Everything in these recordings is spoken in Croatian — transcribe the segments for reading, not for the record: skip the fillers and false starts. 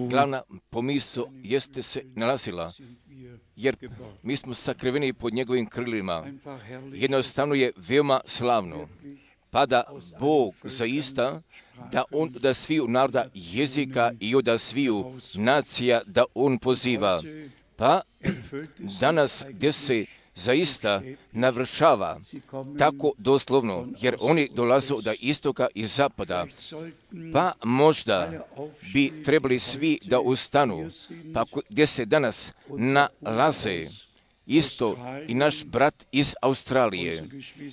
Glavna pomisao jeste se nalazila, jer mi smo sakriveni pod njegovim krilima. Jednostavno je veoma slavno, pa da Bog zaista, da On da sviju naroda jezika i od sviju nacija da On poziva. Pa danas gdje se zaista navršava tako doslovno, jer oni dolaze od istoka i zapada, pa možda bi trebali svi da ustanu, pa gdje se danas nalaze isto i naš brat iz Australije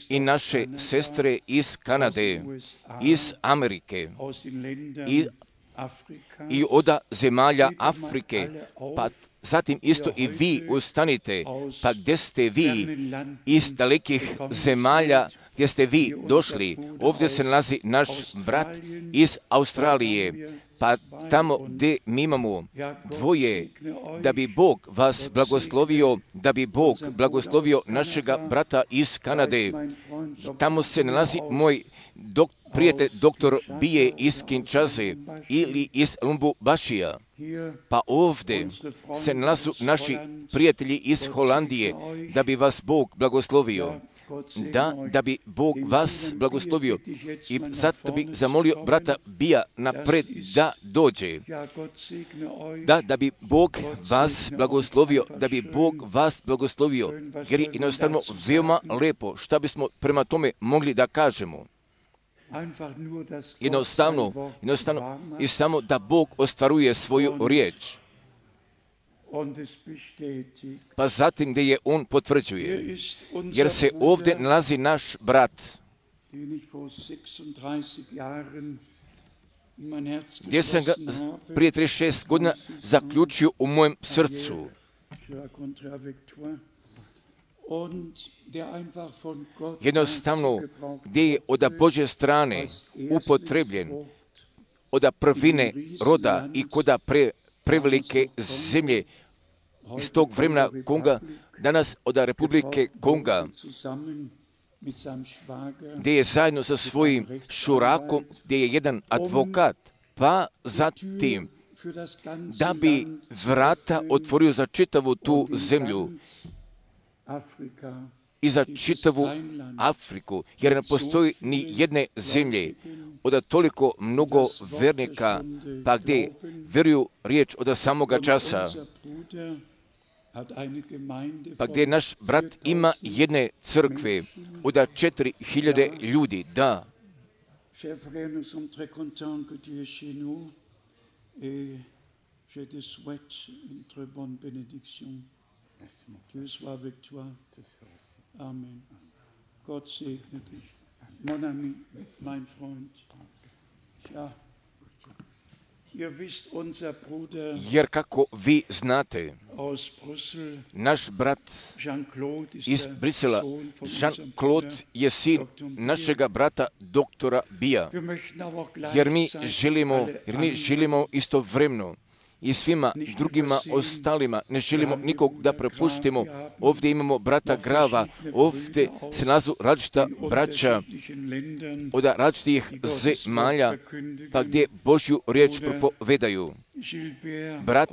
i naše sestre iz Kanade, iz Amerike i od zemalja Afrike, pa zatim isto i vi ustanite, pa gdje ste vi iz dalekih zemalja, gdje ste vi došli, ovdje se nalazi naš brat iz Australije, pa tamo gdje mi imamo dvoje, da bi Bog vas blagoslovio, da bi Bog blagoslovio našega brata iz Kanade. Tamo se nalazi moj prijatelj doktor Bije iz Kinshase ili iz Lumbubašija. Pa ovdje se nalazu naši prijatelji iz Holandije, da bi vas Bog blagoslovio. Da bi Bog vas blagoslovio. I zato bi zamolio brata Bija napred da dođe. Da bi Bog vas blagoslovio, da bi Bog vas blagoslovio. Jer je jednostavno veoma lepo šta bismo prema tome mogli da kažemo. Jednostavno i samo da Bog ostvaruje svoju riječ. Pa zatim gdje je On potvrđuje, jer se ovdje nalazi naš brat, gdje sam ga prije 36 godina zaključio u mojem srcu. Jednostavno, gdje je od Božje strane upotrebljen, od prvine roda i koda prevelike zemlje iz tog vremena Konga, danas od Republike Konga, gdje je zajedno sa svojim šurakom, gdje je jedan advokat, pa zatim da bi vrata otvorio za čitavu tu zemlju i za čitavu Afriku, jer ne postoji ni jedne zemlje od toliko mnogo vernika, pa gdje vjeruju riječ od samoga časa, pa gdje naš brat ima jedne crkve od 4000 ljudi, da. Amen. Gott segne dich. Mon ami, mein Freund. Ja, ihr wisst, unser Bruder Jer kako vi znate, aus Brüssel, naš brat Jean-Claude, ist iz der Brisela, Sohn von Jean-Claude unserem je sin Dr. Bier. našega brata doktora Bija. Wir möchten aber auch Jer mi gleichzeitig želimo istovremeno i svima drugima ostalima, ne želimo nikog da prepuštimo. Ovdje imamo brata Grava, ovdje se nalazu različita braća od različitih zemalja, pa gdje Božju riječ propovedaju. Brat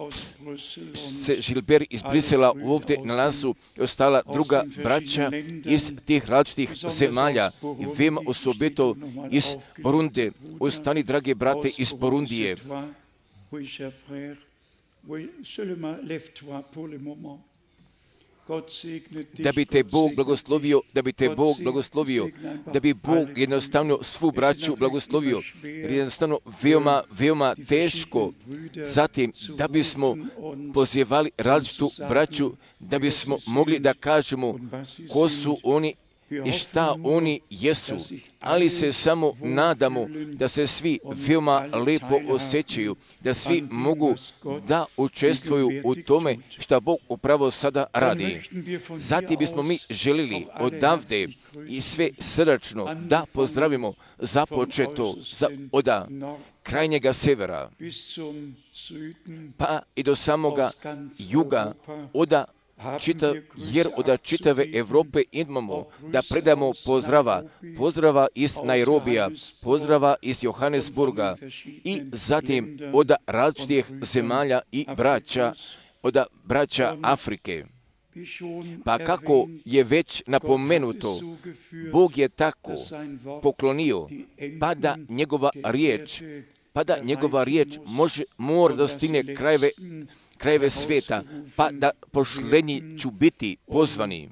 Gilbert iz Brisela ovdje nalazu i ostala druga braća iz tih različitih zemalja i veoma osobito iz Burunde. Ostani, drage brate, iz Burundije. Da bi te Bog blagoslovio, da bi Bog jednostavno svu braću blagoslovio, jer jednostavno veoma teško. Zatim, da bismo pozivali različitu braću, da bismo mogli da kažemo ko su oni i šta oni jesu, ali se samo nadamo da se svi veoma lepo osjećaju, da svi mogu da učestvuju u tome što Bog upravo sada radi. Zatim bismo mi želili odavde i sve srdačno da pozdravimo započeto od krajnjega severa, pa i do samoga juga, od jer od čitave Evrope imamo da predamo pozdrava iz Nairobija, pozdrava iz Johannesburga i zatim od različitih zemalja i braća Afrike. Pa kako je već napomenuto, Bog je tako poklonio, pa da njegova riječ mora da stigne krajeve sveta, pa da pošlenji ću biti pozvani.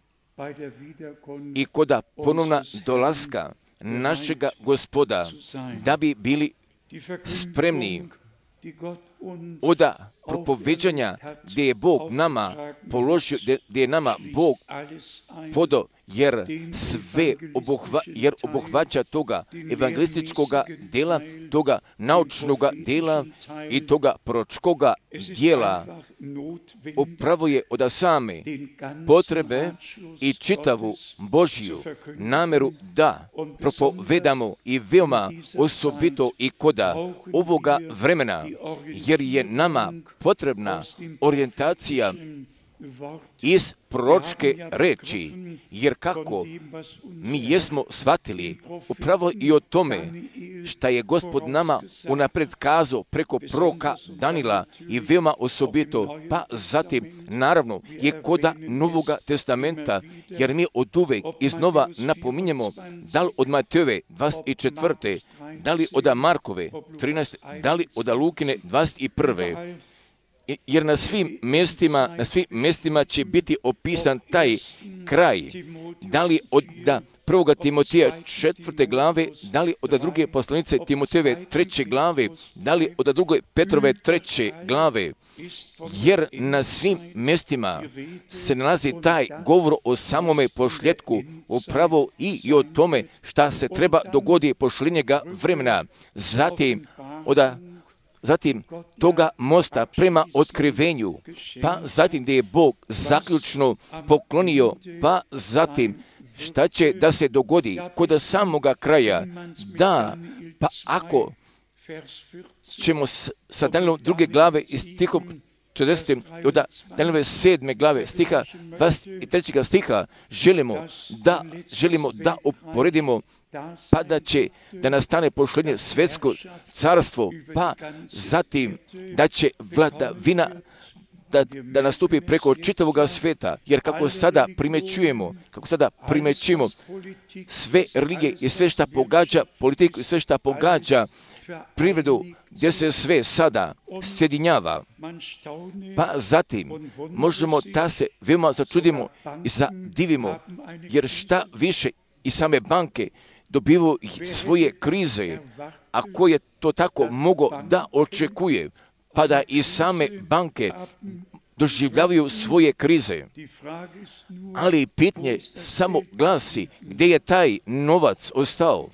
I kod ponovna dolaska našega Gospoda, da bi bili spremni od propoveđanja gdje je Bog nama položio, gdje je nama Bog podao, jer obuhvaća toga evangelističkoga dela, toga naučnoga dela i toga proročkoga djela. Upravo je od same potrebe i čitavu Božju nameru da propovedamo i veoma osobito i koda ovoga vremena, jer je nama potrebna orijentacija iz proročke reči, jer kako mi jesmo shvatili upravo i o tome šta je Gospod nama unapred kazao preko proroka Danila i veoma osobito, pa zatim naravno je koda Novoga testamenta, jer mi od uvek iznova napominjemo da li od Matejove 24. da li od Markove 13. da li od Lukine 21. Jer na svim mjestima će biti opisan taj kraj. Da li od 1. Timotija 4. glave, da li od 2. poslanice Timotejeve 3. glave, da li od 2. Petrove 3. glave. Jer na svim mjestima se nalazi taj govor o samome pošljetku, upravo i o tome šta se treba dogodi pošljenjega vremena. Zatim toga mosta prema otkrivenju, pa zatim gdje je Bog zaključno poklonio, pa zatim šta će da se dogodi kod samoga kraja, pa ako ćemo sa Danilom 2. glave i stihom 40. od Danilove 7. glave stiha 23. stiha želimo da uporedimo, pa da nastane pošlenje svetsko carstvo, pa zatim da će vladavina da nastupi preko čitavoga sveta, jer kako sada primećujemo sve religije i sve šta pogađa politiku i sve šta pogađa privredu, gdje se sve sada sjedinjava, pa zatim možemo da se veoma začudimo i zadivimo, jer šta više i same banke dobivaju svoje krize, a ko je to tako mogao da očekuje, pa da i same banke doživljavaju svoje krize. Ali pitanje samo glasi, gdje je taj novac ostao?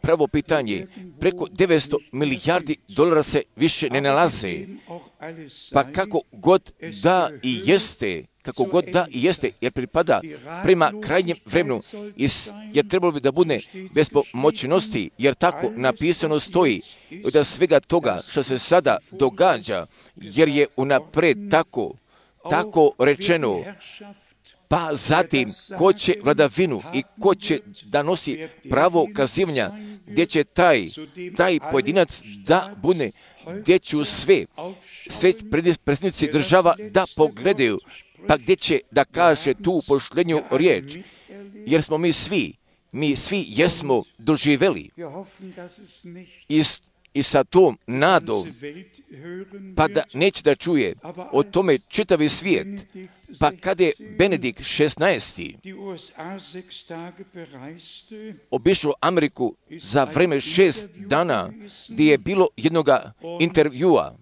Pravo pitanje, preko 900 milijardi dolara se više ne nalaze. Pa kako god da i jeste, jer pripada prema krajnjem vremenu, jer trebalo bi da bude bez pomoćnosti, jer tako napisano stoji od svega toga što se sada događa, jer je unapred tako rečeno. Pa zatim, ko će vladavinu i ko će da nosi pravo kazivanja, gdje će taj pojedinac da bude, gdje će sve predsjednici država da pogledaju, pa gdje će da kaže tu pošlenju riječ, jer smo mi svi jesmo doživeli i sa tom nadom, pa da neće da čuje o tome čitavi svijet. Pa kada je Benedikt 16. obišao Ameriku za vreme 6 dana, gdje je bilo jednoga intervjua,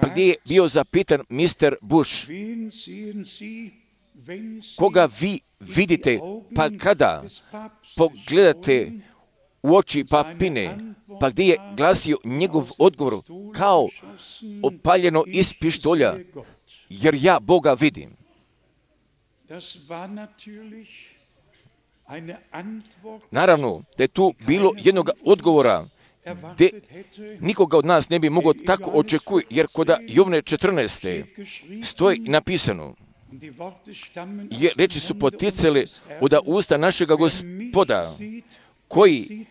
pa gdje je bio zapitan Mr. Bush, koga vi vidite, pa kada pogledate u oči papine, pa gdje je glasio njegov odgovor kao opaljeno iz pištolja, jer ja Boga vidim. Naravno, da je tu bilo jednog odgovora, gdje nikoga od nas ne bi mogao tako očekuti, jer kod Jovne 14. stoji napisano, jer reči su poticale od usta našega Gospoda, koji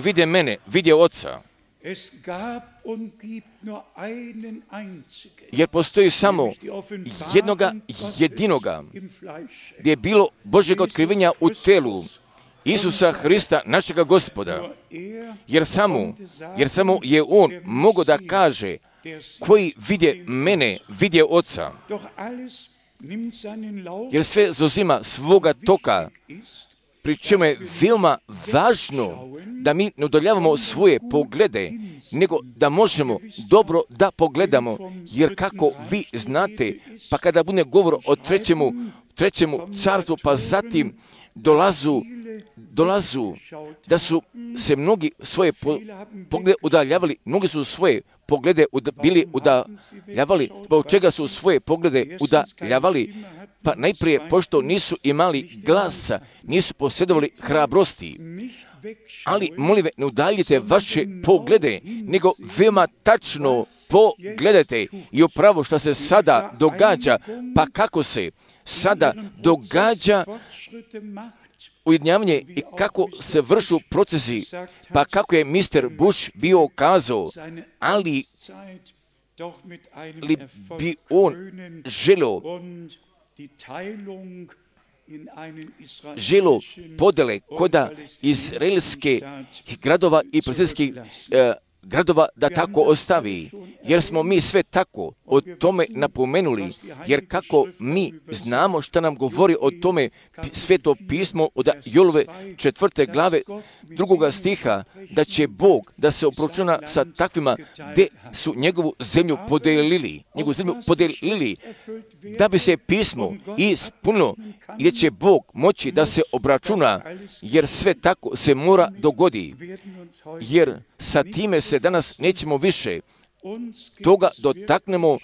vide mene, vidje Oca. Jer postoji samo jednoga jedinoga, gdje je bilo Božjega otkrivenja u telu, Isusa Hrista, našega Gospoda. Jer samo je On mogao da kaže, koji vidje mene, vidje Oca. Jer sve zauzima svoga toka, pri čemu je veoma važno da mi ne udaljavamo svoje poglede, nego da možemo dobro da pogledamo, jer kako vi znate, pa kada bude govor o trećemu carstvu, pa zatim dolazu da su se mnogi svoje poglede udaljavali, mnogi su svoje poglede bili udaljavali, zbog čega su svoje poglede udaljavali, pa najprije, pošto nisu imali glasa, nisu posjedovali hrabrosti. Ali, molim, ne udaljite vaše poglede, nego veoma tačno pogledajte i upravo što se sada događa, pa kako se sada događa ujedinjavanje i kako se vršu procesi, pa kako je Mr. Bush bio kazao, ali bi on želo podele koda izraelske gradova i palestinskih gradova da tako ostavi, jer smo mi sve tako o tome napomenuli, jer kako mi znamo šta nam govori o tome Sveto pismo od Jolove 4. glave 2. stiha, da će Bog da se obračuna sa takvima gdje su njegovu zemlju podelili, da bi se pismo ispunilo, gdje će Bog moći da se obračuna, jer sve tako se mora dogodi, jer sa time se danas nećemo više toga dotaknemo,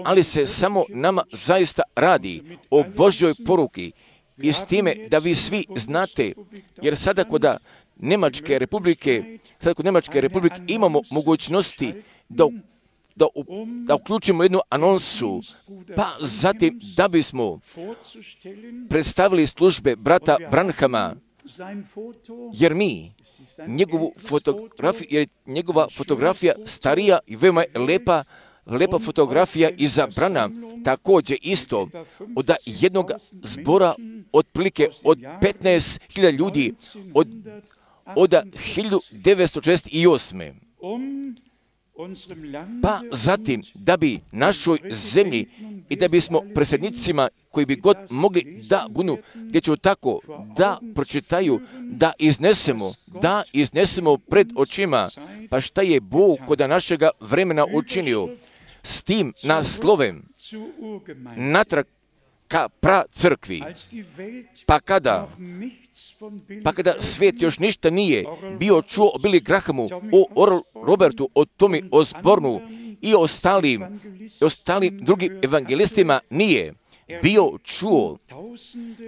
ali se samo nama zaista radi o Božjoj poruki i s time da vi svi znate, jer sada kod Njemačke republike imamo mogućnosti da uključimo jednu anonsu, pa zatim da bismo predstavili službe brata Branhama, jer njegova fotografija starija i veoma je lepa fotografija izabrana, također isto od jednog zbora otprilike od 15.000 ljudi od 1968. Pa zatim, da bi našoj zemlji i da bismo predsjednicima koji bi god mogli da budu, gdje ću tako da pročitaju, da iznesemo pred očima, pa šta je Bog kod našega vremena učinio s tim naslovem natrag ka pracrkvi. Pa kada svijet još ništa nije bio čuo o Billy Grahamu, o Oral Robertu, o Tommy Osbornu i ostalim drugim evangelistima nije bio čuo,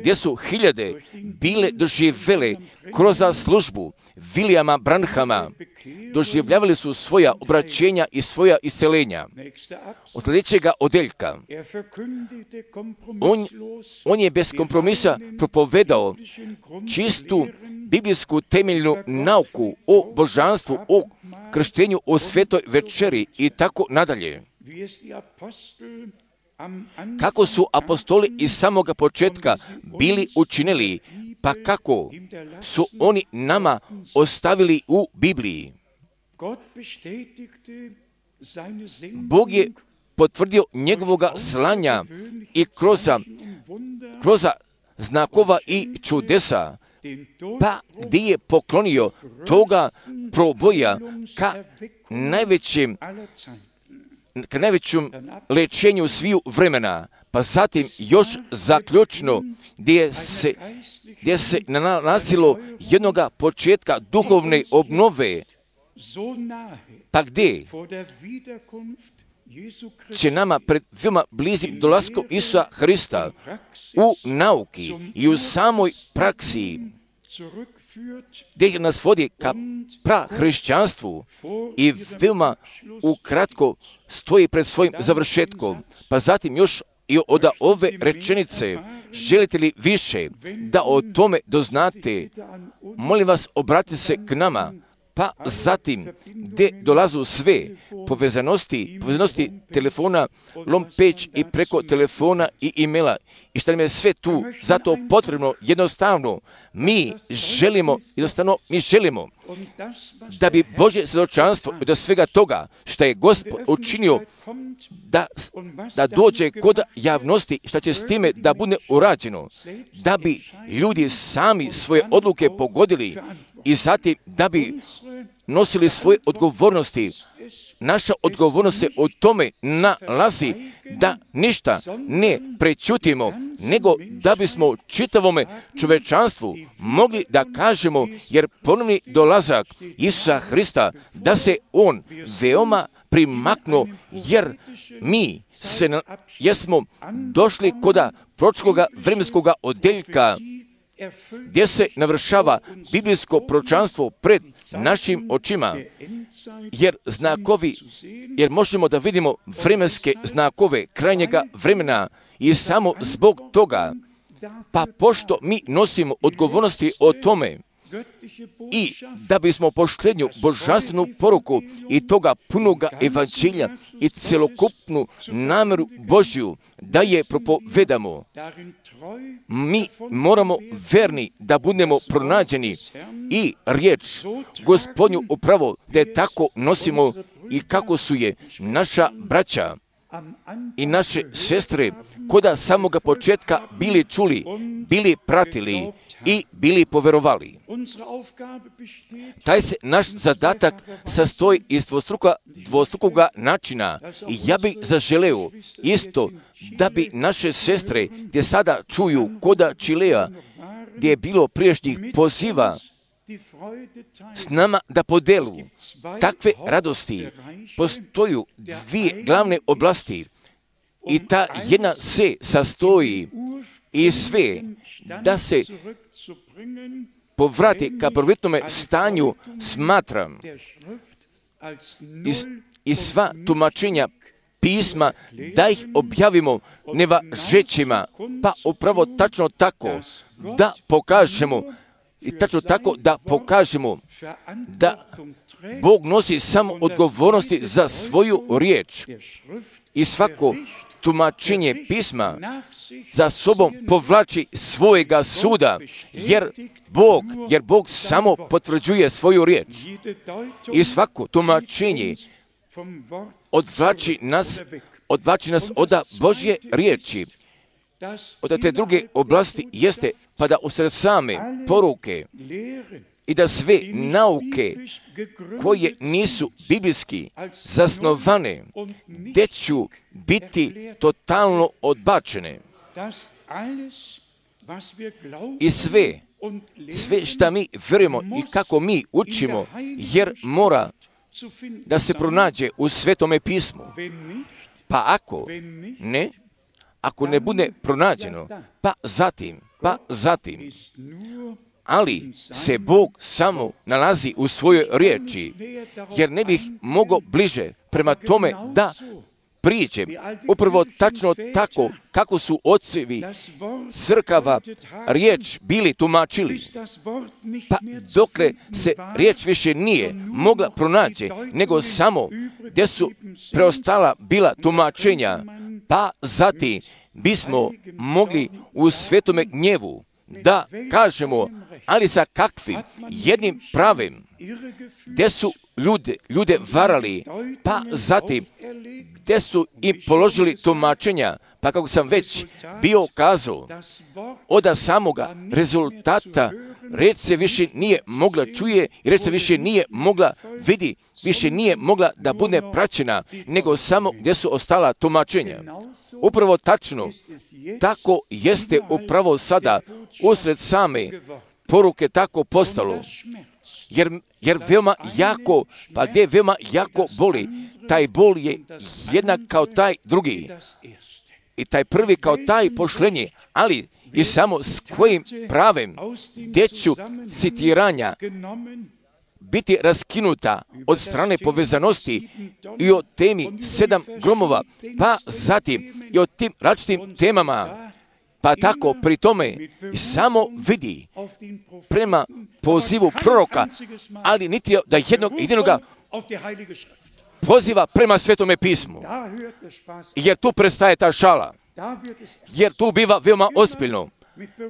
gdje su hiljade bile doživjele kroz službu Williama Branhama, doživljavali su svoja obraćenja i svoja isceljenja. Od sljedećega odeljka, on je bez kompromisa propovedao čistu biblijsku temeljnu nauku o božanstvu, o krštenju, o svetoj večeri i tako nadalje. Kako su apostoli iz samoga početka bili učinili, pa kako su oni nama ostavili u Bibliji. Bog je potvrdio njegovoga slanja i kroz znakova i čudesa, pa gdje je poklonio toga proboja ka najvećem lečenju sviju vremena, pa zatim još zaključno gdje se nalazilo jednoga početka duhovne obnove, pa gdje će nama pred veoma blizim dolaskom Isusa Hrista u nauki i u samoj praksi, gdje nas vodi ka prahrišćanstvu i veoma ukratko stoji pred svojim završetkom. Pa zatim još i od ove rečenice, želite li više da o tome doznate, molim vas, obratite se k nama. Pa zatim, gdje dolazu sve povezanosti telefona, lompeć i preko telefona i e-maila. I što nam je sve tu zato potrebno, jednostavno, mi želimo da bi Božje svjedočanstvo do svega toga što je Gospod učinio da dođe kod javnosti, što će s time da bude urađeno, da bi ljudi sami svoje odluke pogodili i zatim da bi nosili svoje odgovornosti. Naša odgovornost se o tome nalazi da ništa ne prećutimo, nego da bismo čitavome čovečanstvu mogli da kažemo, jer ponovni dolazak Isusa Hrista, da se On veoma primaknuo, jer smo došli koda pročkoga vremenskoga odeljka, gdje se navršava biblijsko proročanstvo pred našim očima, jer možemo da vidimo vremenske znakove krajnjega vremena i samo zbog toga, pa pošto mi nosimo odgovornosti o tome i da bismo poštenju božanstvenu poruku i toga punoga evanđelja i celokupnu namjeru Božju da je propovedamo, mi moramo verni da budemo pronađeni i riječ Gospodnju upravo da je tako nosimo i kako su je naša braća i naše sestre koda samoga početka bili čuli, bili pratili i bili poverovali. Taj se naš zadatak sastoji iz dvostrukoga načina i ja bih zaželeo isto da bi naše sestre gdje sada čuju koda Čilea, gdje je bilo prijašnjih poziva s nama da podelu takve radosti. Postoju dvije glavne oblasti i ta jedna se sastoji i sve da se povrati ka prvotnome stanju. Smatram i sva tumačenja pisma da ih objavimo nevažećima, pa upravo tačno tako da pokažemo da Bog nosi samo odgovornosti za svoju riječ i svako tumačenje pisma za sobom povlači svojega suda, jer Bog samo potvrđuje svoju riječ. I svako tumačenje odvlači nas od Božje riječi. Od te druge oblasti jeste pa da usred same poruke i da sve nauke koje nisu biblijski zasnovane, gdje ću biti totalno odbačene. I sve što mi vjerujemo i kako mi učimo, jer mora da se pronađe u Svetome pismu. Pa ako ne bude pronađeno, pa zatim, ali se Bog samo nalazi u svojoj riječi, jer ne bih mogao bliže prema tome da priđem upravo tačno tako kako su ocevi crkava riječ bili tumačili. Pa dokle se riječ više nije mogla pronaći, nego samo gdje su preostala bila tumačenja, pa zatim bismo mogli u svetome gnjevu da kažemo, ali sa kakvim jednim pravim, gdje su ljude varali, pa zatim gdje su im položili tumačenja, pa kako sam već bio kazao, od samoga rezultata reč se više nije mogla čuje i reč se više nije mogla vidi, više nije mogla da bude praćena, nego samo gdje su ostala tumačenja. Upravo tačno, tako jeste upravo sada usred same poruke tako postalo. Jer veoma jako, pa gdje veoma jako boli, taj bol je jednak kao taj drugi. I taj prvi kao taj pošlenje, ali i samo s kojim pravem gdje ću citiranja biti raskinuta od strane povezanosti i o temi 7 gromova, pa zatim i o tim različitim temama, pa tako pri tome samo vidi prema pozivu proroka, ali niti da jednoga poziva prema Svetome pismu, jer tu prestaje ta šala, jer tu biva veoma ozbiljno,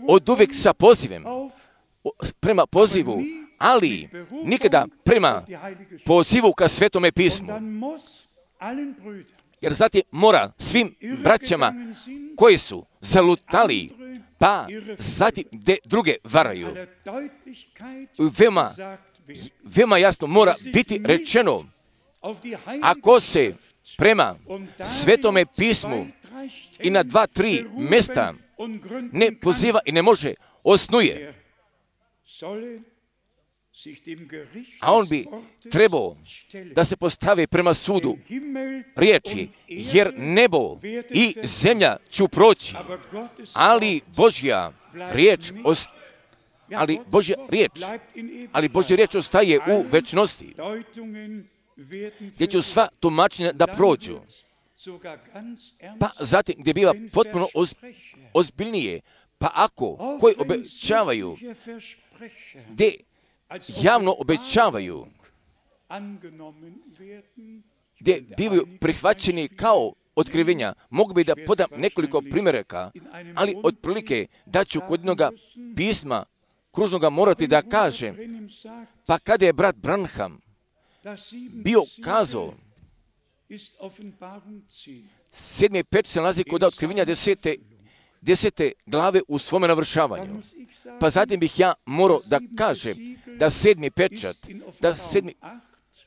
od uvijek sa pozivem, prema pozivu, ali nikada prema pozivu ka Svetome pismu. Jer zatim mora svim braćama koji su zalutali, pa zatim gdje druge varaju, veoma jasno mora biti rečeno, ako se prema Svetome pismu i na 2-3 mjesta ne poziva i ne može, osnuje, a on bi trebao da se postavi prema sudu riječi, jer nebo i zemlja ću proći, ali Božja riječ ostaje u večnosti, gdje će sva tumačenja da prođu, pa zatim gdje biva potpuno ozbiljnije, pa ako koji obećavaju, gdje javno obećavaju, gdje bivaju prihvaćeni kao otkrivenja. Mogu bi da podam nekoliko primjeraka, ali otprilike da ću kod jednoga pisma kružnoga morati da kažem, pa kada je brat Branham bio kazao, 7. pečat se nalazi kod otkrivenja 10. glave u svome navršavanju. Pa zatim bih ja morao da kažem da 7.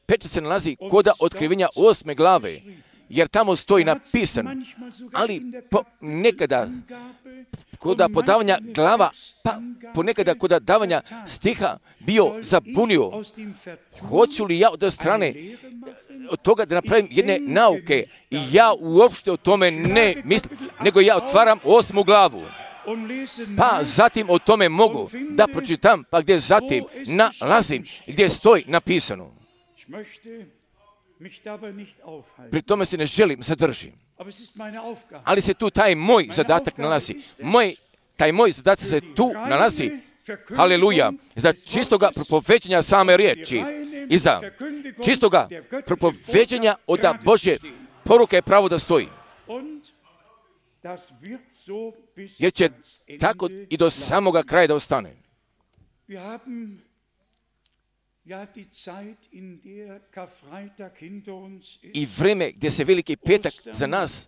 pečat se nalazi kod otkrivenja 8. glave, jer tamo stoji napisan, ali nekada kod podavanja glava, pa ponekada kod davanja stiha bio zabunio. Hoću li ja od strane od toga da napravim jedne nauke, i ja uopšte o tome ne mislim, nego ja otvaram 8. glavu. Pa zatim o tome mogu da pročitam, pa gdje zatim nalazim, gdje stoji napisano. Pri tome se ne želim zadržim. Ali se tu taj moj zadatak nalazi. Taj moj zadatak se tu nalazi, haleluja, za čistoga propoveđenja same riječi i za čistoga propoveđenja od Božje poruke je pravo da stoji. Jer će tako i do samoga kraja da ostane. I vrijeme gdje se Veliki petak za nas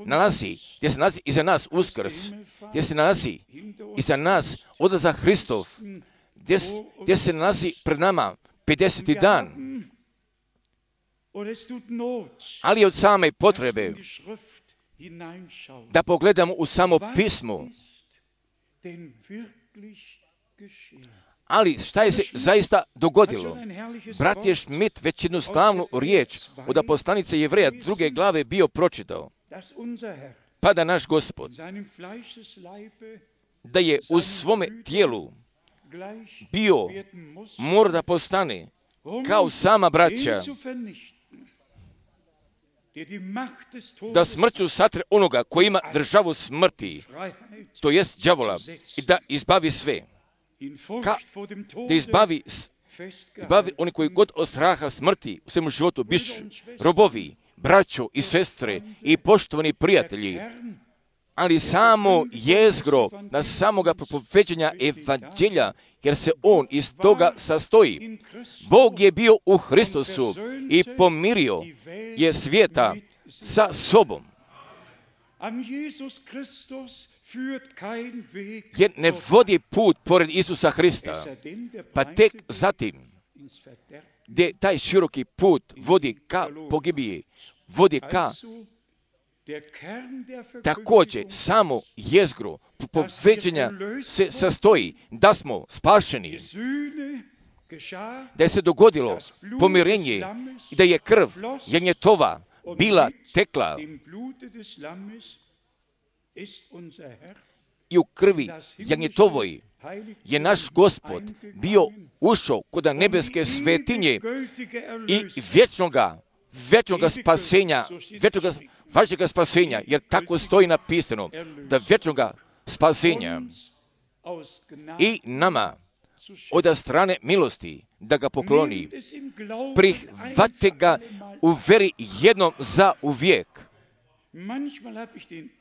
nalazi, gdje se nalazi i za nas Uskrs, gdje se nalazi i za nas odlazak Hristov, gdje se nalazi pred nama 50. dan, ali od same potrebe da pogledamo u samo pismo. Ali šta je se zaista dogodilo? Brat je Schmidt već jednu slavnu riječ od poslanice Jevreja 2. glave bio pročitao. Pa da naš Gospod, da je u svome tijelu bio, mora da postane kao sama braća, da smrću satre onoga koji ima državu smrti, to jest đavola, i da izbavi sve. Da izbavi oni koji god od straha smrti u svemu životu biš robovi, braćo i sestre i poštovani prijatelji, ali samo jezgro na samoga propoveđenja evanđelja, jer se on iz toga sastoji. Bog je bio u Hristosu i pomirio je svijeta sa sobom. Jer ne vodi put pored Isusa Hrista, pa tek zatim, gdje taj široki put vodi ka pogibiji, vodi ka također samo jezgro propoveđenja se sastoji da smo spašeni, da je se dogodilo pomirenje i da je krv janjetova bila tekla i u krvi janjetovoj je naš Gospod bio ušao kod nebeske svetinje i vječnoga spasenja, vašega spasenja, jer tako stoji napisano, da vječnoga spasenja i nama od strane milosti da ga pokloni. Prihvate ga u veri jednom za uvijek.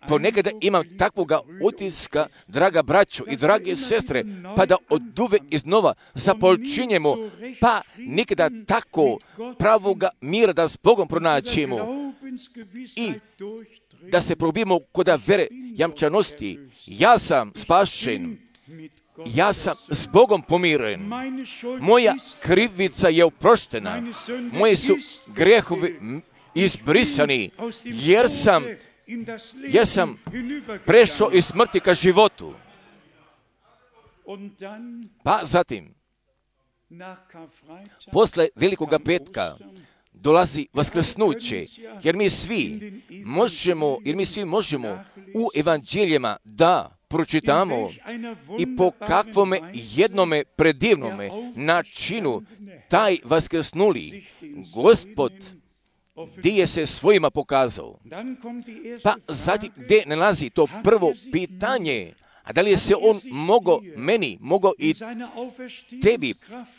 Ponekada imam takvoga utiska, draga braćo i drage sestre, pa da oduvek iznova započinjemo, pa nikada tako pravoga mira da s Bogom pronaćemo i da se probimo kod vere jamčanosti. Ja sam spašen, ja sam s Bogom pomiren, moja krivica je oproštena, moji su grehovi izbrisani, jer sam prešao iz smrti ka životu. Pa zatim, posle Velikoga petka dolazi vaskrsnuće, jer mi svi možemo u evanđeljima da pročitamo i po kakvome jednome predivnome načinu taj vaskrsnuli Gospod gdje je se svojima pokazao. Pa zatim gdje nalazi to prvo pitanje, a da li je se on mogao i tebi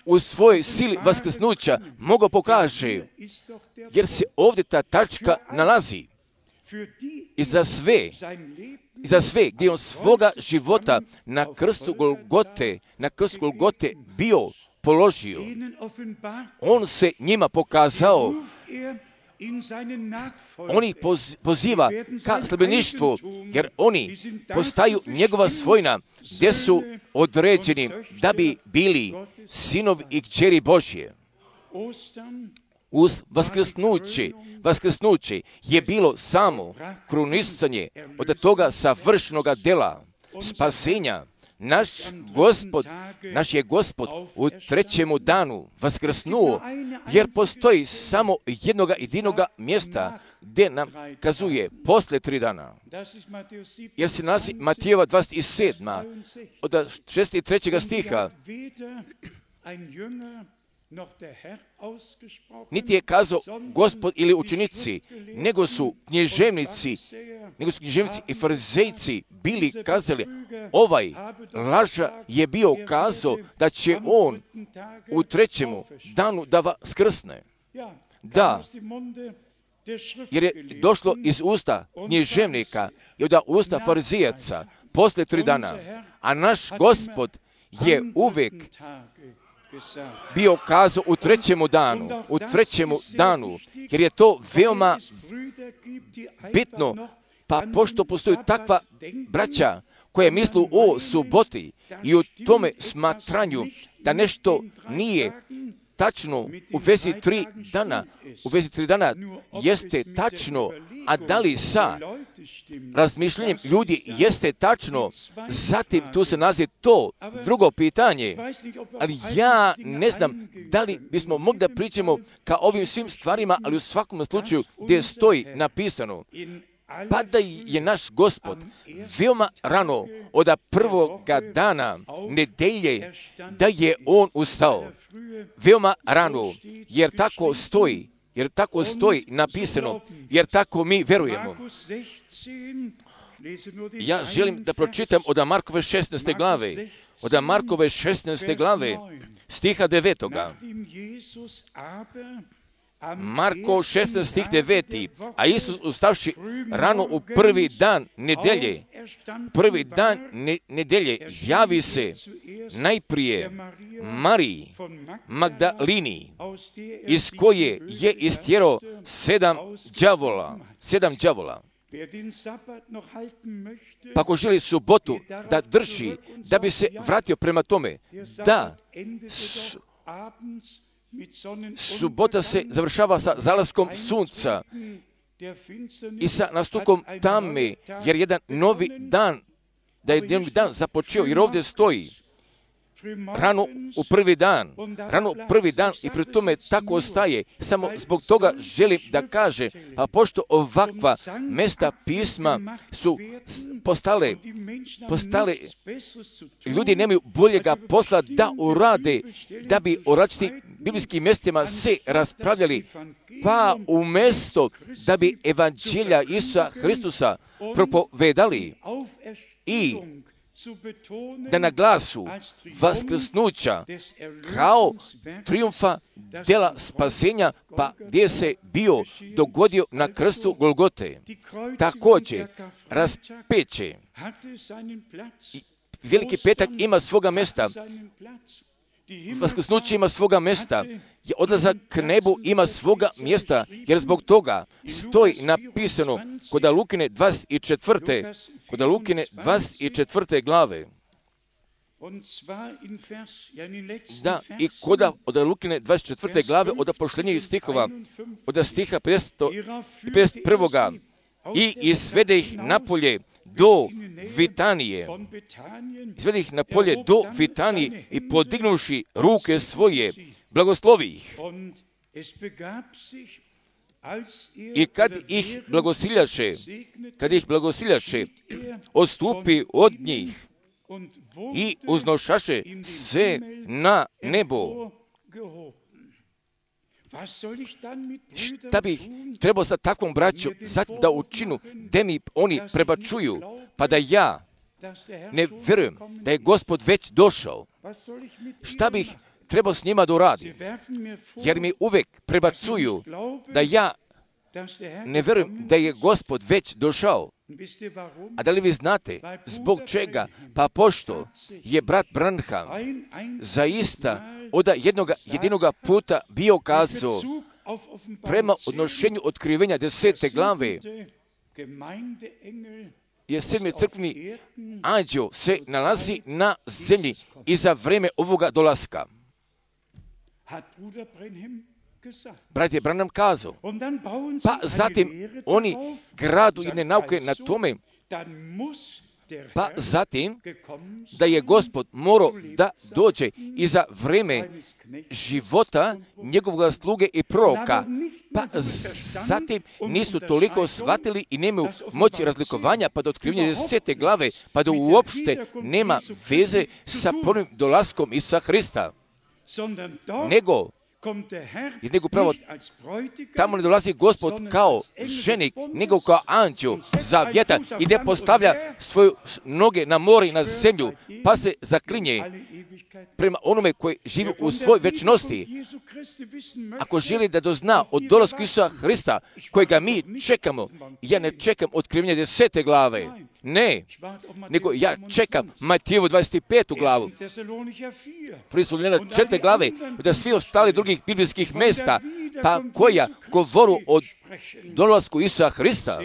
u svojoj sili vaskrsnuća mogao pokaže, jer se ovdje ta tačka nalazi i za sve gdje on svoga života na krstu Golgote bio položio. On se njima pokazao. On ih poziva ka sljedbeništvu, jer oni postaju njegova svojina, gdje su određeni da bi bili sinovi i kćeri Božje. Uz vaskrsnuće je bilo samo krunisanje od toga savršenoga dela spasenja. Naš je Gospod u trećemu danu vaskrsnuo, jer postoji samo jednoga jedinoga mjesta gdje nam kazuje posle 3 dana. Jer se nalazi Matijeva 27. od 63. stiha. Niti je kazao Gospod ili učenici, nego su knježevnici i farizejci bili kazali, ovaj laža je bio kazao da će on u trećemu danu da vaskrsne. Da, jer je došlo iz usta knježevnika i od usta farizijaca posle 3 dana, a naš Gospod je uvijek bio kazao u trećemu danu, jer je to veoma bitno, pa pošto postoji takva braća koja mislu o suboti i o tome smatranju da nešto nije tačno u vezi 3 dana, jeste tačno, a da li sa razmišljanjem ljudi jeste tačno, zatim tu se nalazi to drugo pitanje, ali ja ne znam da li bismo mogli da pričamo ka ovim svim stvarima, ali u svakom slučaju gdje stoji napisano, pa da je naš Gospod veoma rano od prvoga dana nedelje da je on ustao. Veoma rano, jer tako stoji napisano, jer tako mi verujemo. Ja želim da pročitam od Markove 16. glave, stiha 9. Marko 16 stih 9. A Isus ustavši rano u prvi dan nedelje, javi se najprije Mariji Magdalini, iz koje je istjerao 7 đavola. Pa ako želi subotu da drži, da bi se vratio prema tome, da subota se završava sa zalaskom sunca i sa nastupom tame, jer jedan novi dan započeo, jer ovdje stoji rano u prvi dan i pri tome tako ostaje. Samo zbog toga želim da kaže, a pošto ovakva mesta pisma su postale, ljudi nemaju boljega posla da urade, da bi o različitim biblijskim mjestima se raspravljali, pa umjesto da bi evanđelja Isusa Hristusa propovedali i da naglasu vaskrsnuća kao triumfa dela spasenja, pa gdje se bio dogodio na krstu Golgote. Također, raspeće. Veliki petak ima svoga mjesta. Vaskrsnuće ima svoga mjesta. Odlazak k nebu ima svoga mjesta, jer zbog toga stoji napisano kod Lukine 24. glave. Da, i kod Lukine 24. glave od posljednjih stihova, od stiha 51. I izvede ih napolje do Vitanije. Izvede ih napolje do Vitanije i podignuši ruke svoje, blagoslovi ih. I kad ih blagosiljaše, odstupi od njih i uznošaše se na nebo. Šta bih trebao sa takvom braćom da učinu, da mi oni prebačuju, pa da ja ne vjerujem da je Gospod već došao? Šta bih trebao s njima da uradim? Jer mi uvek prebacuju da ja ne vjerujem da je Gospod već došao. A da li vi znate zbog čega? Pa pošto je brat Branham zaista od jedinoga puta bio kazao prema odnošenju otkrivenja 10. glave, jer 7. crkveni anđeo se nalazi na zemlji i za vrijeme ovoga dolaska. Brat je Branham kazao, pa zatim oni gradu jedne nauke na tome, pa zatim da je Gospod morao da dođe i za vrijeme života njegovog sluge i proroka, pa zatim nisu toliko shvatili i nemaju moći razlikovanja pa do otkrivanja 10. glave, pa da uopšte nema veze sa prvim dolaskom Isusa Hrista, nego pravo tamo ne dolazi Gospod kao ženik, nego kao anđeo zavjeta i ne postavlja svoje noge na more i na zemlju, pa se zaklinje prema onome koji živi u svoj večnosti. Ako želi da dozna od dolasku Isusa Hrista, kojega mi čekamo, ja ne čekam otkrivenje 10. glave, ne, nego ja čekam Matijevu 25. glavu, 4. glave, da svi ostali drugih biblijskih mjesta, pa koja govoru o dolasku Isusa Hrista.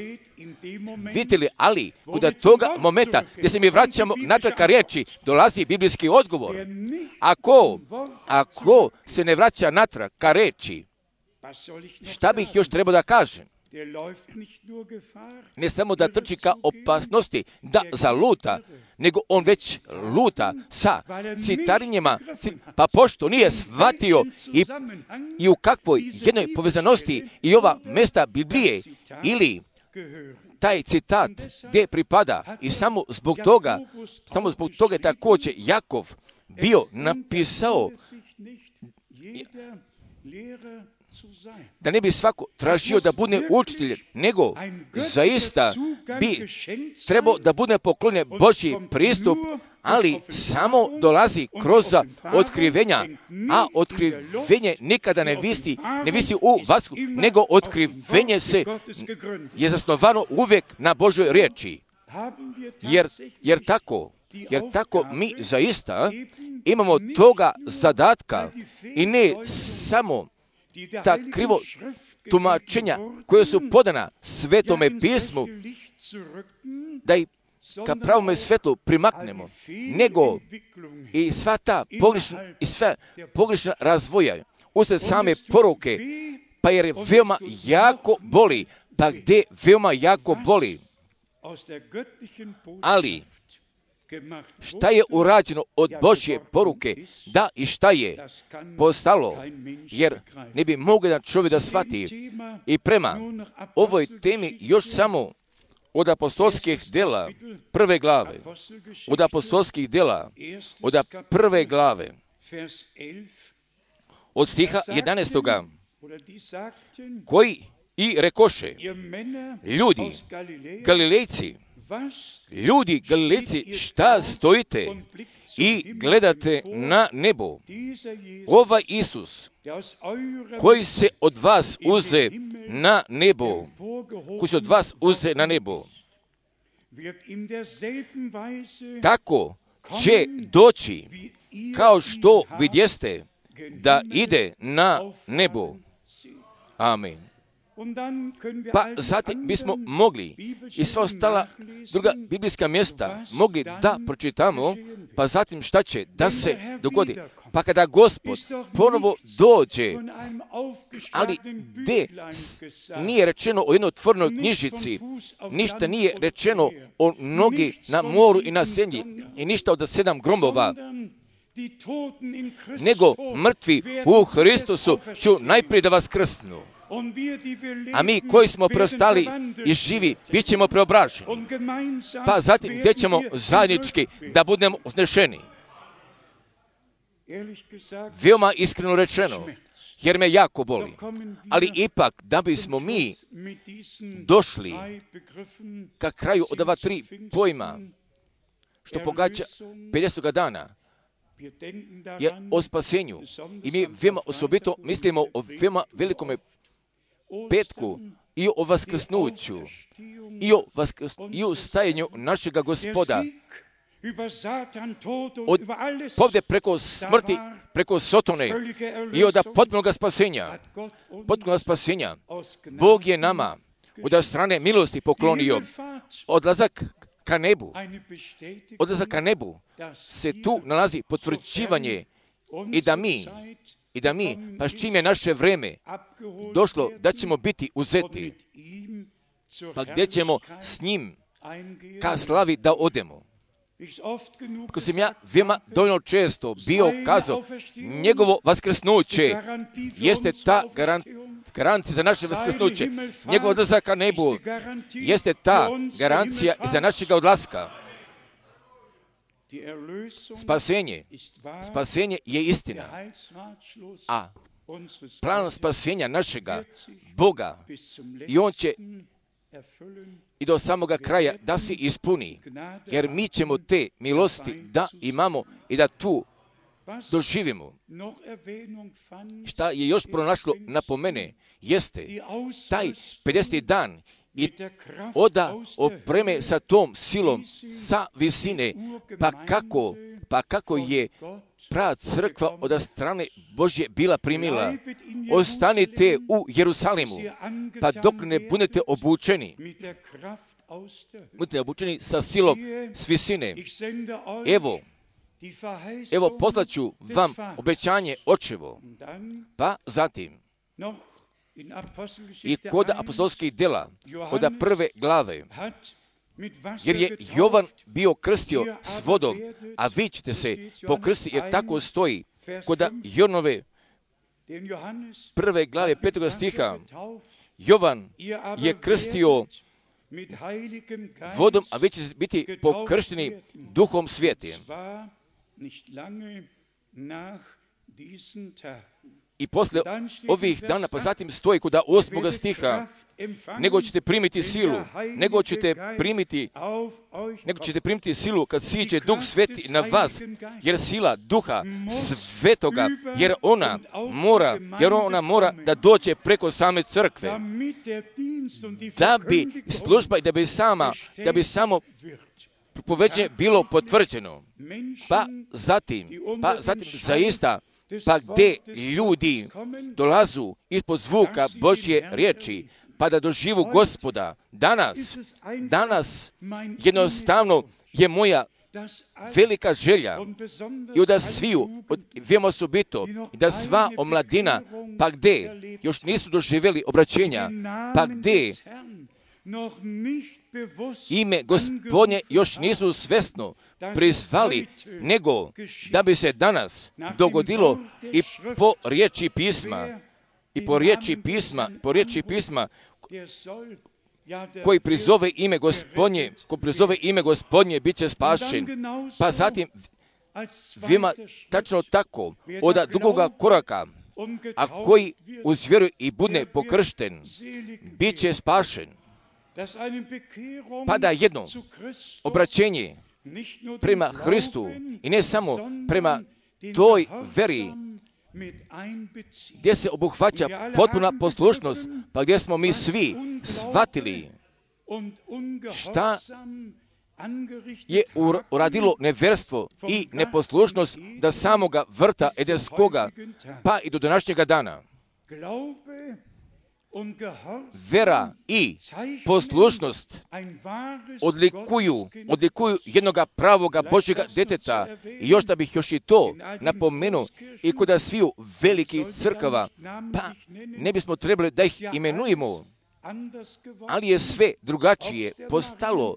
Vidite li, ali kod toga momenta gdje se mi vraćamo natrag ka riječi, dolazi biblijski odgovor. Ako se ne vraća natrag ka riječi, šta bih još trebao da kažem? Ne samo da trči ka opasnosti, da zaluta, nego on već luta sa citarinjama, pa pošto nije shvatio i u kakvoj jednoj povezanosti i ova mesta Biblije ili taj citat gdje pripada, i samo zbog toga je također Jakov bio napisao da ne bi svako tražio da bude učitelj, nego zaista bi trebao da bude poklonjen Božji pristup, ali samo dolazi kroz otkrivenja, a otkrivenje nikada ne visi u vasku, nego otkrivenje je zasnovano uvijek na Božoj riječi. Jer tako mi zaista imamo toga zadatka i ne samo ta krivo tumačenja koje su podana Svetome pismu, da ih ka pravome svetlu primaknemo, nego i sva ta pogrešna razvoja usred same poruke, pa jer veoma jako boli, ali šta je urađeno od Božje poruke, da i šta je postalo, jer ne bi mogao jedan čovjek da shvati. I prema ovoj temi još samo od apostolskih djela prve glave, od apostolskih djela, od prve glave, od stiha 11. koji i rekoše, ljudi Galilejci, šta stojite i gledate na nebo? Ovaj Isus, koji se od vas uze na nebo, tako će doći, kao što vidjeste, da ide na nebo. Amen. Pa zatim bismo mogli i sva ostala druga biblijska mjesta mogli da pročitamo, pa zatim šta će da se dogodi. Pa kada Gospod ponovo dođe, ali gdje nije rečeno o jednoj otvorenoj knjižici, ništa nije rečeno o nogi na moru i na zemlji i ništa od 7 gromova, nego mrtvi u Hristusu ću najprije da vas krstnu. A mi koji smo preostali i živi, bit ćemo preobraženi. Pa zatim gdje ćemo zajednički da budemo uznešeni. Veoma iskreno rečeno, jer me jako boli. Ali ipak, da bismo mi došli ka kraju od ova 3 pojma, što pogađa 50. dana, je o spasenju. I mi veoma osobito mislimo o veoma velikom petku i o vaskrsnuću i o stajanju našega Gospoda. Od povde preko smrti, preko Sotone i od potpunog spasenja. Bog je nama od strane milosti poklonio odlazak ka nebu se tu nalazi potvrđivanje i da mi, pa s čim je naše vreme došlo, da ćemo biti uzeti, pa gdje ćemo s njim ka slavi da odemo. Ako sam ja veoma dovoljno često bio kazao, njegovo vaskrsnuće jeste ta garancija za naše vaskrsnuće. Njegov odlazak ka nebu jeste ta garancija i za našega odlaska. Spasenje je istina, a plan spasenja našega Boga i on će i do samoga kraja da se ispuni, jer mi ćemo te milosti da imamo i da tu doživimo. Šta je još pronašlo napomene jeste taj 50. dan i oda opreme sa tom silom sa visine, pa kako je prava crkva od strane Božje bila primila. Ostanite u Jerusalimu, pa dok ne budete obučeni sa silom s visine. Evo poslaću vam obećanje očevo. Pa zatim i kod apostolskih djela od prve glave, jer je Jovan bio krstio s vodom, a vi ćete se pokrstiti, jer tako stoji kod Jonove prve glave 5. stiha. Jovan je krstio vodom, a vi ćete biti pokršteni Duhom Svätim. I posle ovih dana, pa zatim stoji kod 8. stiha, nego ćete primiti silu kad siđe Duh Sveti na vas, jer sila Duha Svetoga, jer ona mora da dođe preko same crkve, da bi služba i da bi samo propoveđenje bilo potvrđeno. Pa zatim zaista, pa gdje ljudi dolazu ispod zvuka Božje riječi, pa da doživu Gospoda. Danas jednostavno je moja velika želja i da sviju, veoma osobito, i da sva omladina, pa gdje još nisu doživjeli obraćenja, pa gdje ime Gospodnje još nisu svesno prizvali, nego da bi se danas dogodilo i po riječi pisma, koji prizove ime Gospodnje, bit će spašen. Pa zatim, vima tačno tako, od drugoga koraka, a koji uz vjeru i bude pokršten, bit će spašen. Pa da jedno obraćenje prema Hristu i ne samo prema toj veri, gdje se obuhvaća potpuna poslušnost, pa gdje smo mi svi shvatili šta je uradilo nevjerstvo i neposlušnost do samoga vrta Edenskoga, pa i do današnjega dana. Vera i poslušnost odlikuju jednoga pravoga Božjega djeteta. I još da bih još i to napomenuo, i kod sviju velikih crkava, pa ne bismo trebali da ih imenujemo, ali je sve drugačije postalo.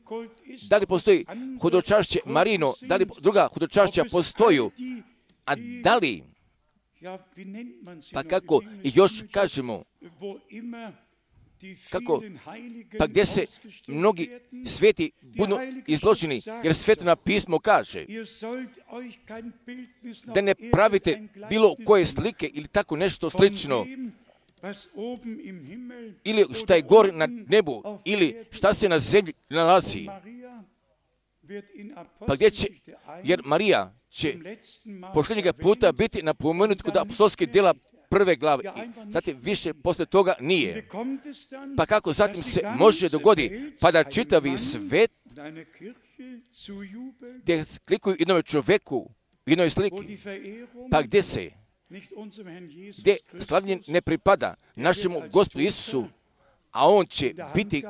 Da li postoji hodočašće Marino, da li druga hodočašća postoju, a da li, pa kako ih još kažemo, kako, pa gdje se mnogi sveti budu izloženi, jer Sveto pismo kaže da ne pravite bilo koje slike ili tako nešto slično, ili šta je gore na nebu, ili šta se na zemlji nalazi. Pa gdje će, jer Marija će posljednjega puta biti napomenut kod apostolskih djela 1. glave, i zatim više posle toga nije. Pa kako zatim se može dogoditi, pa da čitavi svet gdje klikuju jednome čovjeku u jednoj sliki, pa gdje se, gdje slavljen ne pripada našemu Gospodu Isusu, a on će biti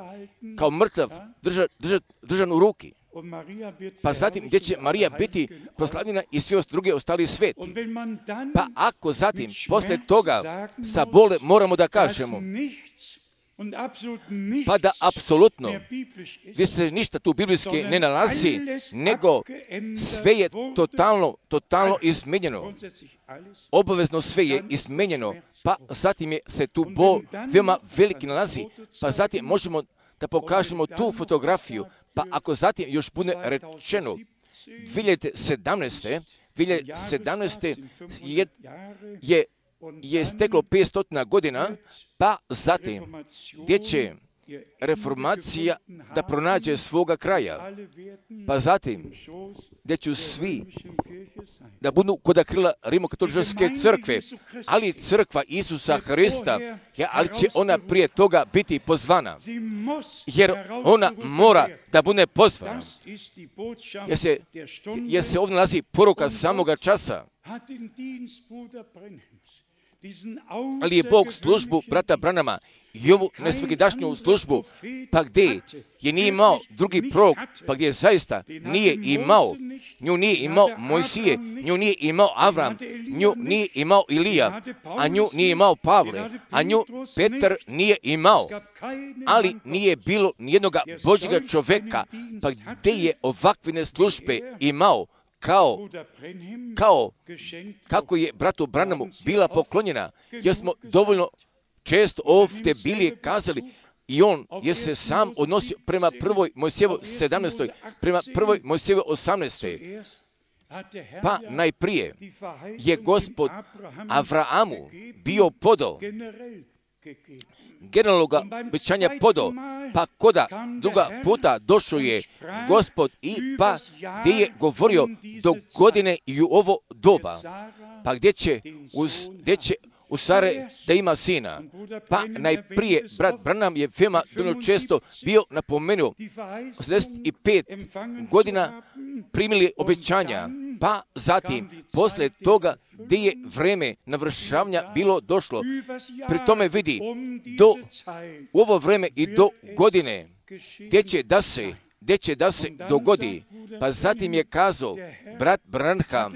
kao mrtav držan u ruki. Pa zatim gdje će Marija biti proslavljena i svi druge ostali sveti. Pa ako zatim posle toga sa bole moramo da kažemo, pa da apsolutno gdje se ništa tu biblijske ne nalazi, nego sve je totalno izmenjeno. Obavezno sve je izmenjeno, pa zatim se tu bol veoma veliki nalazi, pa zatim možemo da pokažemo tu fotografiju. Pa ako zatim još bude rečeno 2017. je steklo 500 godina, pa zatim gdje će reformacija da pronađe svoga kraja, pa zatim gdje će svi da budu kod krila Rimokatoličke crkve, ali crkva Isusa Hrista, ali će ona prije toga biti pozvana, jer ona mora da bude pozvana, jer se ovdje nalazi poruka samoga časa. Ali je Bog službu brata Branama i ovu nesvakidašnju službu, pa gdje je nije imao drugi prorok, pa gdje zaista nije imao, nju nije imao Mojsije, nju nije imao Avram, nju nije imao Ilija, a nju nije imao Pavle, a nju Petar nije imao, ali nije bilo nijednoga Božjega čovjeka, pa gdje je ovakvine službe imao, kako je bratu Branamu bila poklonjena, jer smo dovoljno često ovdje bili kazali, i on je se sam odnosio prema 1. Mojsijevoj 17. prema 1. Mojsijevoj 18. Pa najprije je Gospod Avraamu bio podao, generalnoga obećanja podao, pa koda druga puta došao je Gospod i pa gdje je govorio do godine i u ovo doba, pa gdje će u Sare da ima sina. Pa najprije brat Branham je veoma često bio napomenuo 85 godina primili obećanja, pa zatim posle toga gdje je vreme navršavanja bilo došlo. Pri tome vidi u ovo vreme i do godine gdje će da se dogodi. Pa zatim je kazao brat Branham,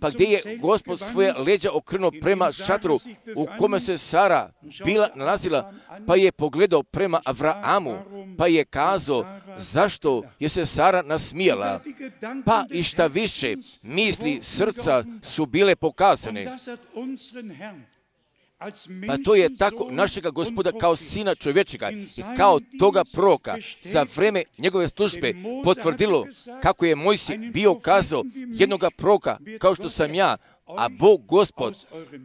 pa gdje je Gospod svoje leđa okrenuo prema šatru u kome se Sara bila nalazila, pa je pogledao prema Avraamu, pa je kazao zašto je se Sara nasmijala, pa i šta više misli srca su bile pokazane. Pa to je tako našega Gospoda kao sina čovječega i kao toga proroka za vreme njegove službe potvrdilo kako je Mojsij bio kazao jednoga proroka kao što sam ja, a Bog Gospod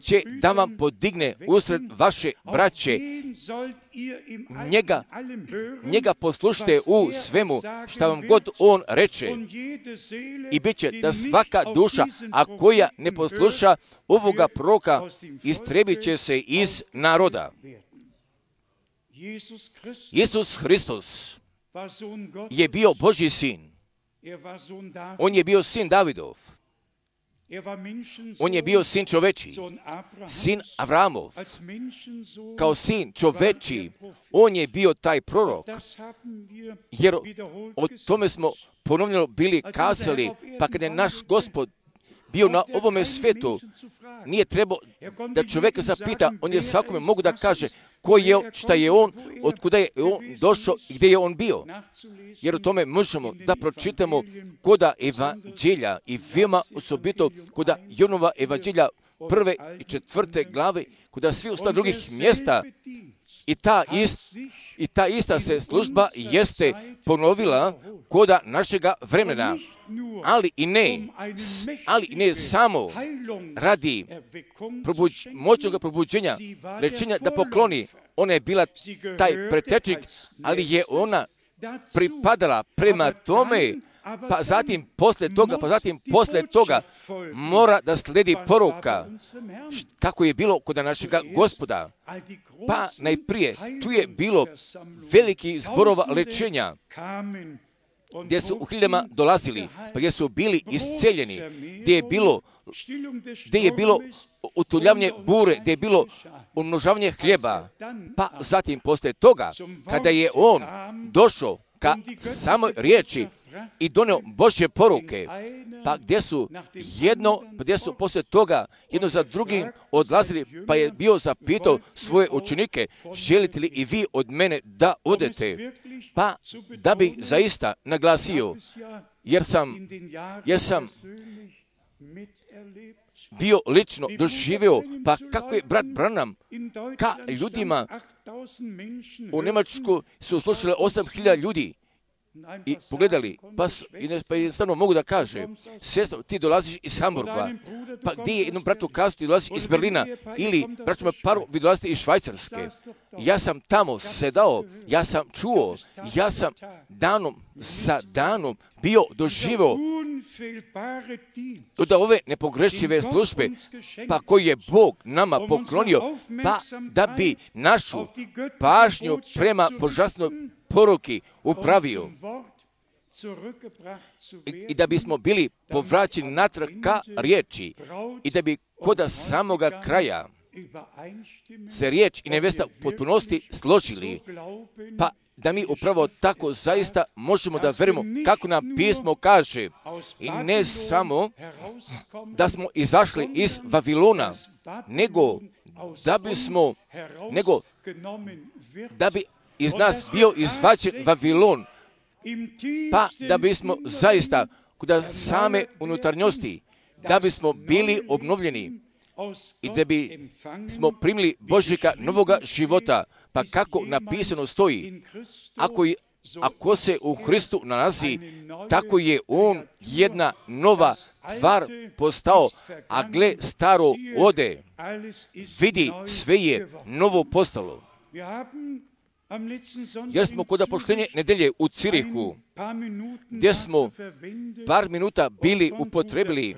će da vam podigne usred vaše braće. Njega poslušajte u svemu šta vam god on reče i bit će da svaka duša, a koja ne posluša ovoga proroka, istrebit će se iz naroda. Isus Hristos je bio Božji sin. On je bio sin Davidov. On je bio sin čoveči, sin Avramov. Kao sin čoveči, on je bio taj prorok. Jer o tome smo ponovno bili kazali, pa kada je naš Gospod bio na ovome svetu, nije trebao da čovjeka zapita, on je svakome mogu da kaže ko je, šta je on, od kuda je on došao i gdje je on bio. Jer o tome možemo da pročitamo koda evanđelja i veoma osobito koda Jonova evanđelja 1. i 4. glave, koda svi ostali drugih mjesta. I ta ista se služba jeste ponovila koda našega vremena. Ali i ne samo radi moćnog probuđenja, rečenja da pokloni. Ona je bila taj pretečnik, ali je ona pripadala prema tome, pa zatim posle toga mora da sledi poruka kako je bilo kod našega Gospoda. Pa najprije tu je bilo veliki zborova lečenja, gdje su u hiljama dolazili, pa gdje su bili isceljeni, gdje je bilo utuljavanje bure, gdje je bilo umnožavanje hljeba. Pa zatim posle toga, kada je on došao ka samoj riječi i donio Božje poruke, pa gdje su posle toga jedno za drugim odlazili, pa je bio zapitao svoje učenike, želite li i vi od mene da odete? Pa da bih zaista naglasio, jer sam bio lično doživio, pa kako je brat Branham ka ljudima u Njemačku su slušali 8.000 ljudi i pogledali, pa jednostavno mogu da kaže, sestro, ti dolaziš iz Hamburga, pa gdje je jednom bratu kazao, ti dolaziš iz Berlina, ili braćima paru, vi dolazite iz Švajcarske. Ja sam tamo sedao, ja sam čuo, ja sam danom za danom bio doživio do ove nepogrešive službe, pa koji je Bog nama poklonio, pa da bi našu pažnju prema božanstvenoj poruki upravio i da bismo bili povraćeni natrag ka riječi i da bi koda samoga kraja se riječ i nevesta u potpunosti složili, pa da mi upravo tako zaista možemo da verimo kako nam pismo kaže i ne samo da smo izašli iz Vavilona, nego da bi iz nas bio izvađen Vavilon, pa da bismo zaista kod same unutarnjosti, da bismo bili obnovljeni i da bi smo primili Božjega novoga života, pa kako napisano stoji, ako se u Hristu nalazi, tako je on jedna nova tvar postao, a gle staro ode, vidi sve je novo postalo. Jer smo kod poštenje nedelje u Cirihu, gdje smo par minuta bili upotrebili,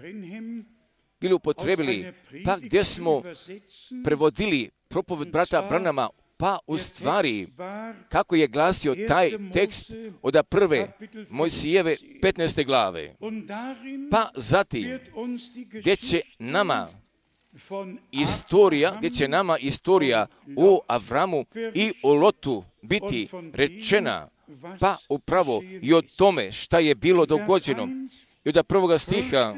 pa gdje smo prevodili propoved brata Branhama, pa u stvari, kako je glasio taj tekst od prve Mojsijeve 15. glave, pa zatim, gdje će nama istorija o Avramu i o Lotu biti rečena, pa upravo i o tome šta je bilo dogođeno. I od prvoga stiha,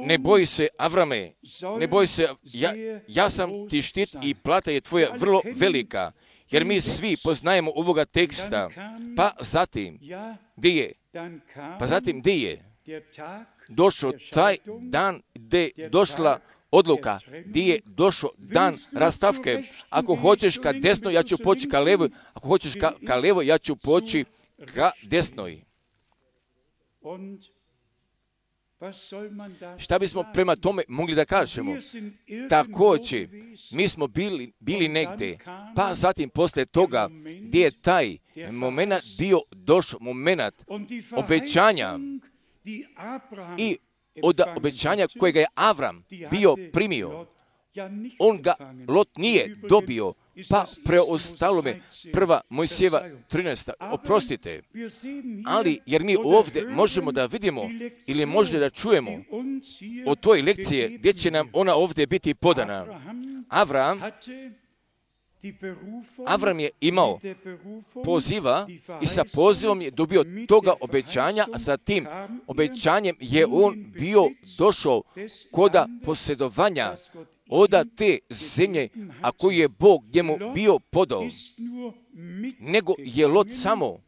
ne boj se, Avrame, ne boj se, ja sam ti štit i plata je tvoja vrlo velika. Jer mi svi poznajemo ovoga teksta. Pa zatim, gdje je došao taj dan gdje je došla odluka, gdje je došao dan rastavke. Ako hoćeš ka desnoj, ja ću poći ka levoj. Ako hoćeš ka levoj, ja ću poći ka desnoj. Šta bismo prema tome mogli da kažemo? Također, mi smo bili negdje, pa zatim poslije toga gdje je taj moment bio došao, moment obećanja i od obećanja kojega je Avram bio primio, on ga Lot nije dobio, pa preostalo me 1. Mojsijeva 13. Oprostite, ali jer mi ovdje možemo da vidimo ili možda da čujemo od toj lekcije gdje će nam ona ovdje biti podana. Avram je imao poziva i sa pozivom je dobio toga obećanja, a sa tim obećanjem je on bio došao koda posjedovanja oda te zemlje, a koju je Bog njemu bio podao, nego je Lot samo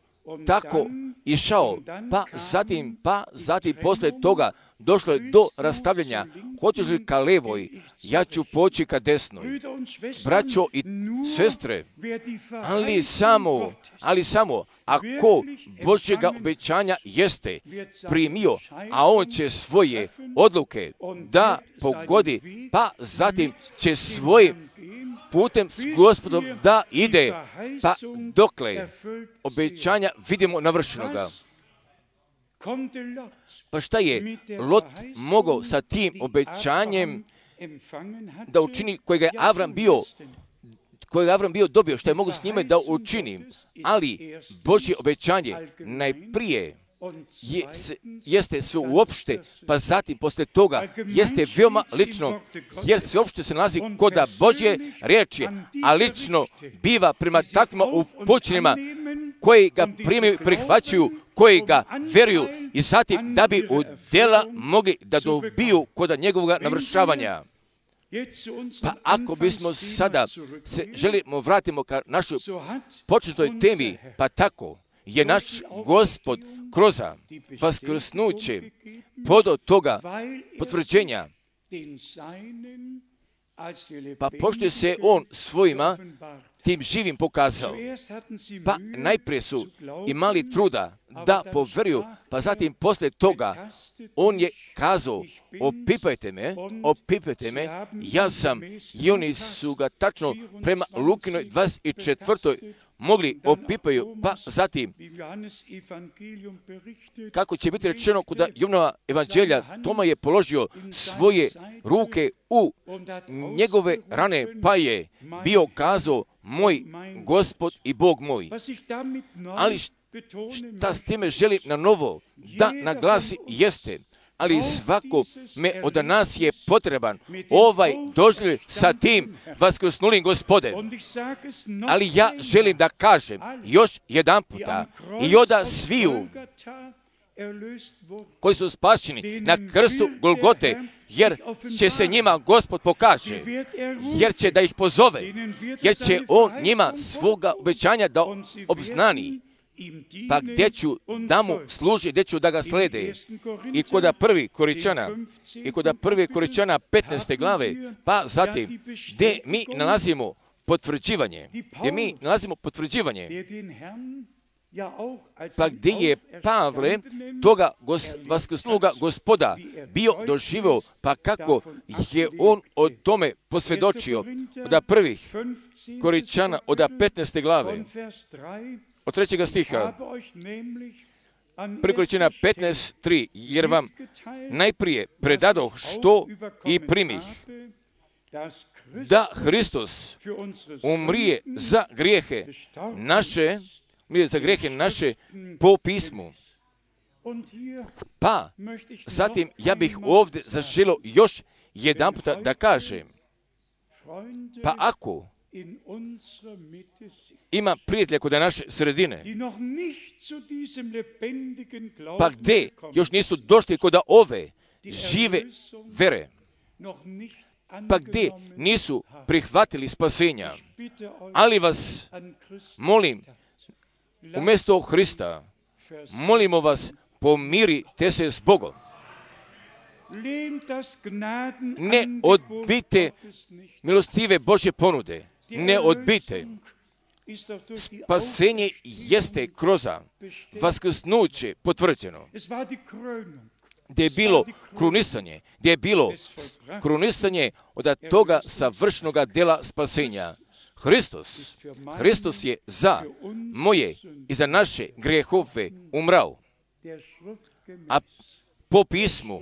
tako išao, pa zatim poslije toga došlo je do rastavljanja. Hoćeš li ka levoj, ja ću poći ka desnoj. Braćo i sestre, ali samo, ako Božjega obećanja jeste primio, a on će svoje odluke da pogodi, pa zatim će svojim putem s Gospodom da ide, pa dokle obećanja vidimo navršenoga. Pa šta je Lot mogao sa tim obećanjem da učini kojega je Avram bio dobio, što je mogao s njime da učini, ali Božje obećanje najprije jeste sve uopšte, pa zatim poslije toga jeste veoma lično, jer sve uopšte se nalazi kod Božje riječi, a lično biva prema takvima upućenima koji ga primaju, prihvaćaju, koji ga veruju i zatim da bi od djela mogli da dobiju kod njegovog navršavanja. Pa ako bismo sada se želimo vratimo ka našoj početnoj temi, pa tako je naš Gospod kroz vaskrsnuće podao toga potvrđenja. Pa pošto se on svojima tim živim pokazao, pa najprije su imali truda da poveruju, pa zatim poslije toga on je kazao, opipajte me, ja sam, i oni su ga tačno prema Lukinoj 24. mogli opipaju, pa zatim, kako će biti rečeno kod Jovanova evanđelja, Toma je položio svoje ruke u njegove rane, pa je bio kazao, moj Gospod i Bog moj. Ali šta s time želim na novo da naglasi jeste, ali svako me od nas je potreban ovaj doživljaj sa tim vaskrsnulim Gospodem. Ali ja želim da kažem još jedan puta i oda sviju koji su spašeni na krstu Golgote, jer će se njima Gospod pokaže, jer će da ih pozove, jer će on njima svoga obećanja da obznani. Pa gdje ću da mu služi, gdje ću da ga slede. I kod prvi Koričana 15. glave, pa zatim gdje mi nalazimo potvrđivanje. Pa gdje je Pavle toga vaskrsnuloga Gospoda bio doživio, pa kako je on o tome posvjedočio od prvih Koričana od 15. glave. Od 3. stiha, 1. Koričana 15.3, jer vam najprije predadoh što i primih, da Hristos umrije za grijehe naše po pismu. Pa, zatim ja bih ovdje zaželio još jedan puta da kažem, pa ako ima prijatelja kod naše sredine, pa gdje još nisu došli kod ove žive vere, pa gdje nisu prihvatili spasenja. Ali vas molim, umjesto Hrista, molimo vas, pomirite se s Bogom. Ne odbijte milostive Božje ponude. Ne odbijte. Spasenje jeste kroz vaskrsnuće potvrđeno. Gdje je bilo krunisanje, od toga savršenoga dela spasenja. Hristos je za moje i za naše grehove umrao. A po pismu,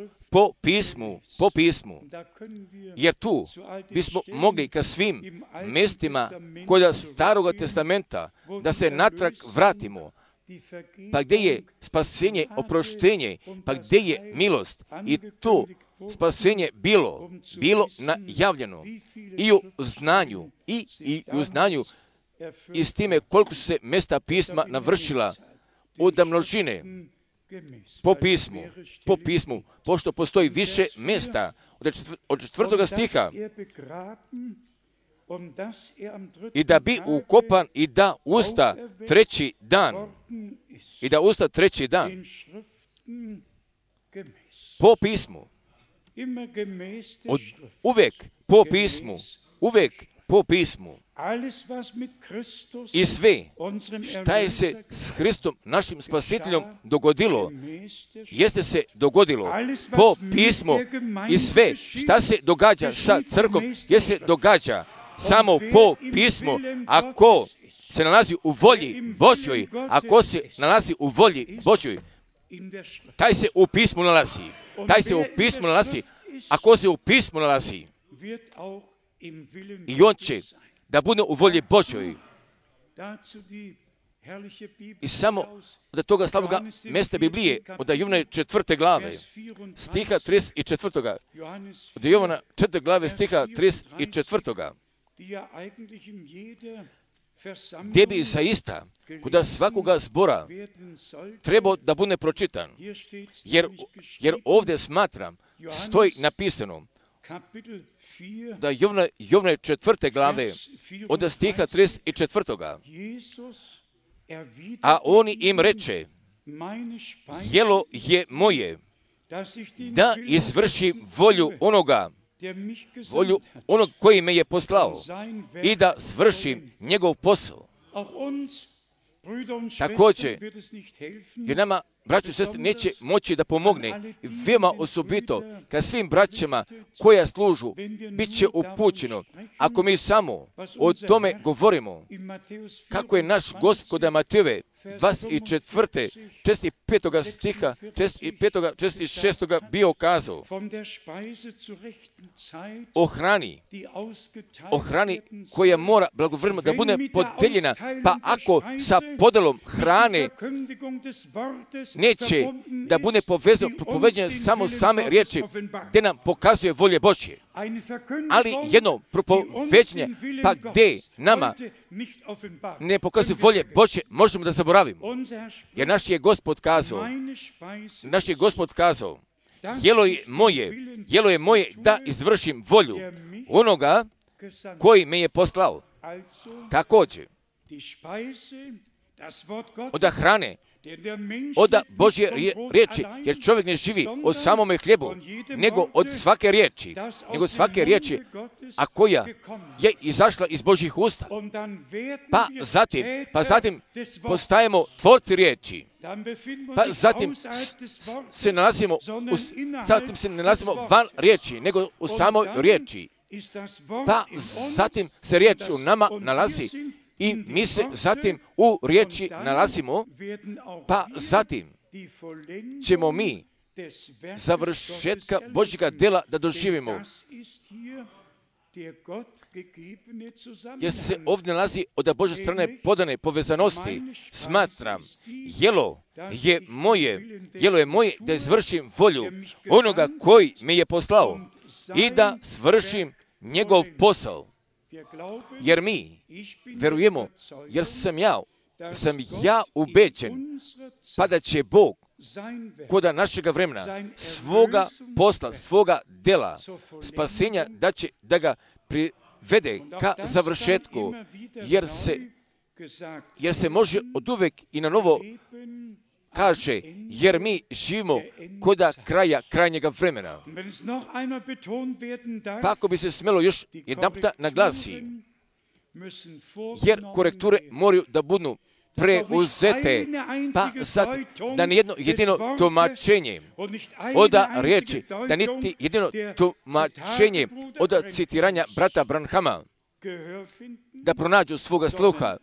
jer tu bismo mogli ka svim mjestima kod Staroga testamenta da se natrag vratimo, pa gdje je spasenje, oproštenje, pa gdje je milost i to spasenje bilo najavljeno i u znanju i s time koliko su se mjesta pisma navršila od množine po pismu, pošto postoji više mjesta od 4. stiha i da bi ukopan i da usta treći dan po pismu, uvijek po pismu i sve šta je se s Hristom našim spasiteljom dogodilo, jeste se dogodilo po pismu i sve šta se događa sa crkvom, je se događa samo po pismu. Ako se nalazi u volji Božjoj, taj se u pismu nalazi. Ako se u pismu nalazi, i on će da bude u volji Božjoj. I samo od toga slavnoga mjesta Biblije, od Jovana 4. glave, stiha 34. Od Jovana 4. glave, stiha 34. Gdje bi zaista kod svakoga zbora trebao da bude pročitan. Jer ovdje smatram, stoji napisano, da Jovana 4. glave, od stiha 34. A on im reče, jelo je moje, da izvršim volju onoga koji me je poslao i da svršim njegov posao. Također, jer nama, braćo i sestre, neće moći da pomogne, veoma osobito, kad svim braćama koja služu, bit će upućeno. Ako mi samo o tome govorimo, kako je naš Gospod Matejove 24. 65. stiha, 65. 66. bio kazao o hrani koja mora blagovremeno da bude podeljena, pa ako sa podelom hrane neće da bude poveđene samo same riječi, gdje nam pokazuje volje Božje. Ali jedno propoveđenje, pa gdje nama ne pokazuje volje Božje, možemo da zaboravimo. Jer naš je Gospod kazao, jelo je moje da izvršim volju onoga koji me je poslao. Također, od hrane, od Božje riječi, jer čovjek ne živi od samome hljebu, nego od svake riječi, a koja je izašla iz Božjih usta. Pa zatim postajemo tvorci riječi. Pa zatim se nalazimo van riječi, nego u samoj riječi. Pa zatim se riječ u nama nalazi i mi se zatim u riječi nalazimo, pa zatim ćemo mi završetka Božjega dela da doživimo. Jer se ovdje nalazi od Božje strane podane povezanosti. Smatram, jelo je moje da izvršim volju onoga koji me je poslao i da svršim njegov posao. Jer mi verujemo, jer sam ja ubeđen, pa da će Bog koda našega vremena, svoga posla, svoga dela, spasenja, da će da ga privede ka završetku, jer se može od uvek i na novo kaže, jer mi živimo koda kraja krajnjega vremena. Pa ako bi se smjelo još jedanputa naglasi, jer korekture moraju da budu preuzete, pa sad da nijedno jedino tumačenje oda riječi, da niti jedino tumačenje oda citiranja brata Branhama da pronađu svoga sluha,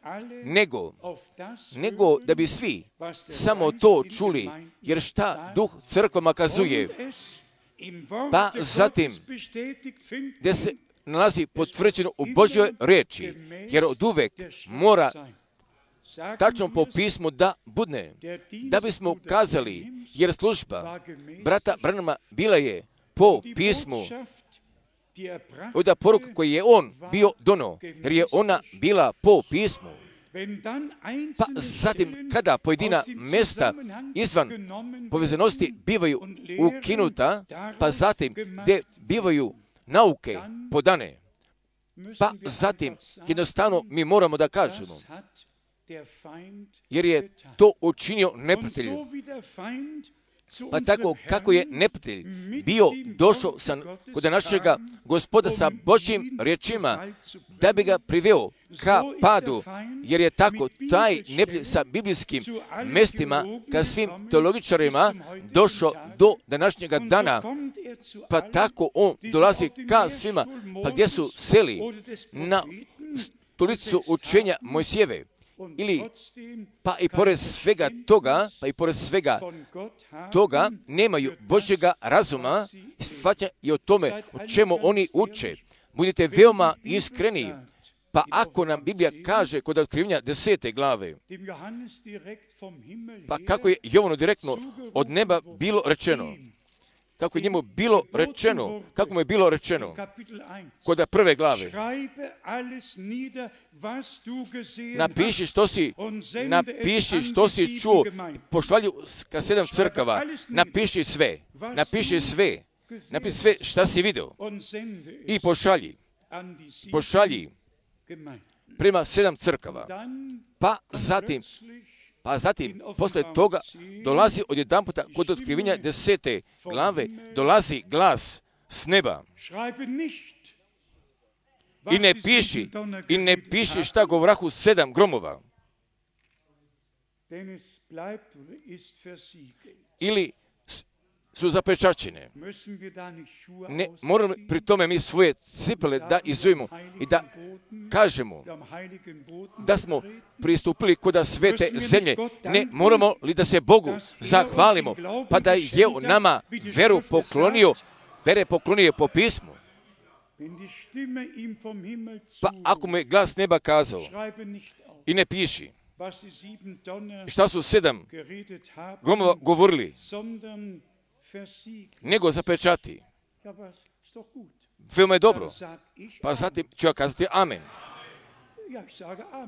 nego da bi svi samo to čuli, jer šta duh crkvama kazuje, pa zatim gdje se nalazi potvrđeno u Božjoj riječi, jer od uvek mora tačno po pismu da budne, da bismo kazali, jer služba brata Branhama bila je po pismu, od poruk koji je on bio dono, jer je ona bila po pismu. Pa zatim, kada pojedina mjesta izvan povezanosti bivaju ukinuta, pa zatim gdje bivaju nauke podane, pa zatim jednostavno mi moramo da kažemo, jer je to učinio neprijatelj. Pa tako kako je neprijatelj bio došao kod našega Gospoda sa Božjim riječima, da bi ga priveo ka padu, jer je tako taj neprijatelj sa biblijskim mjestima, ka svim teologičarima došao do današnjega dana, pa tako on dolazi ka svima, pa gdje su seli na stolicu učenja Mojsijeve, ili pa i pored svega toga nemaju Božjega razuma i shvaćanja i o tome o čemu oni uče. Budite veoma iskreni, pa ako nam Biblija kaže kod otkrivenja 10. glave, pa kako je Jovanu direktno od neba bilo rečeno, kako je njemu bilo rečeno, kako mu je bilo rečeno kod prve glave, napiši što si čuo, pošalju ka 7 crkava, napiši sve šta si vidio i pošalji prema 7 crkava. Pa zatim, posle toga, dolazi odjedanputa kod otkrivenja 10. glave, dolazi glas s neba. I ne piši šta govrahu 7 gromova. Ili su zapečačene. Ne moramo pri tome mi svoje cipele da izujemo i da kažemo da smo pristupili kod svete zemlje. Ne moramo li da se Bogu zahvalimo, pa da je u nama vere poklonio po pismu. Pa ako mu je glas neba kazao i ne piši šta su 7 gromova govorili, nego zapečati. Veoma je dobro. Pa zatim ću ja kazati amen.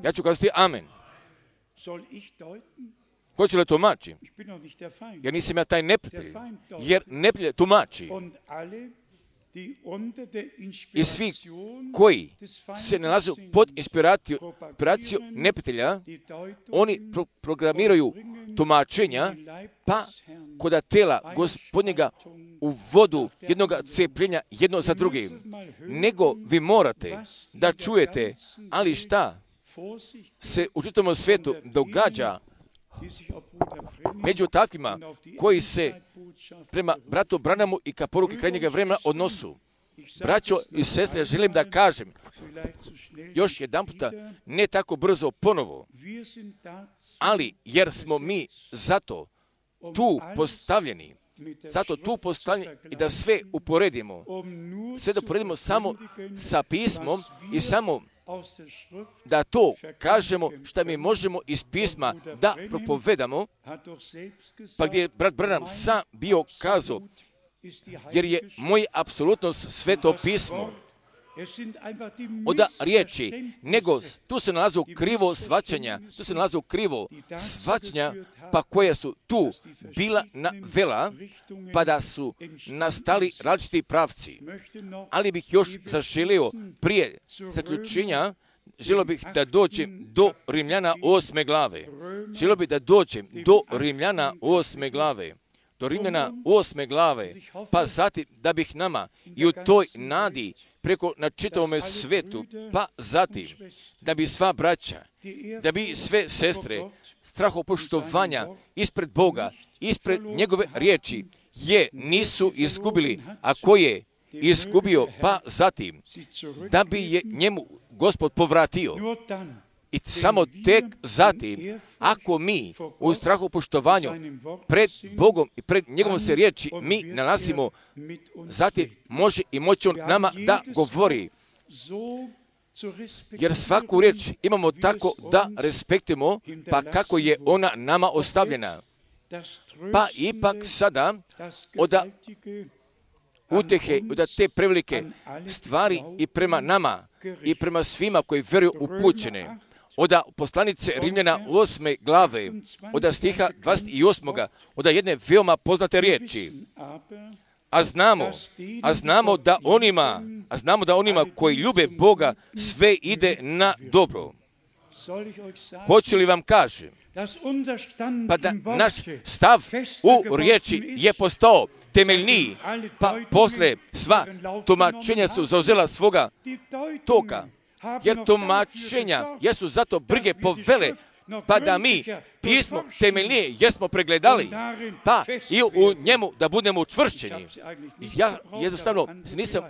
Ja ću kazati amen. Ko će li tumači? Jer nisam ja taj neprijatelj. Jer neprijatelj tumači. I svi koji se nalaze pod inspiracijom neprijatelja, oni programiraju tumačenja, pa kod tela Gospodnjega u vodu jednog cepljenja jedno za drugim. Nego vi morate da čujete, ali šta se u čitavom svijetu događa među takvima koji se prema bratu Branhamu i ka poruki krajnjega vremena odnosu. Braćo i sestre, želim da kažem još jedan puta, ne tako brzo ponovo, ali jer smo mi zato tu postavljeni i da sve uporedimo samo sa pismom i samo da to kažemo što mi možemo iz pisma da propovedamo, pa gdje je brat Branham sam bio kazao, jer je moja apsolutnost sveto pismo, od riječi, nego tu se nalazu krivo shvaćanja, pa koja su tu bila navela, pa da su nastali različiti pravci. Ali bih još zaželio prije zaključenja, želio bih da dođem do Rimljana 8. glave. Želio bih da dođem do Rimljana 8. glave. Do Rimljana 8. glave, pa zatim da bih nama i u toj nadi preko na čitavome svetu, pa zatim da bi sva braća, da bi sve sestre strahopoštovanja ispred Boga, ispred njegove riječi, nisu izgubili, a ko je izgubio, pa zatim da bi je njemu Gospod povratio. I samo tek zatim, ako mi u strahopoštovanju pred Bogom i pred njegovom se riječi mi nalazimo, zatim može i moći on nama da govori. Jer svaku riječ imamo tako da respektujemo, pa kako je ona nama ostavljena. Pa ipak sada od utehe, od te prevelike stvari i prema nama i prema svima koji vjeruju upućene, od poslanice Rimljana 8. glave, od stiha 28. od jedne veoma poznate riječi. A znamo da onima koji ljube Boga sve ide na dobro. Hoću li vam kažem, pa da naš stav u riječi je postao temeljniji, pa posle sva tumačenja su zauzela svoga toka, jer tumačenja jesu zato brige povele, pa da mi pismo temeljnije jesmo pregledali, pa i u njemu da budemo učvršćeni. Ja jednostavno nisam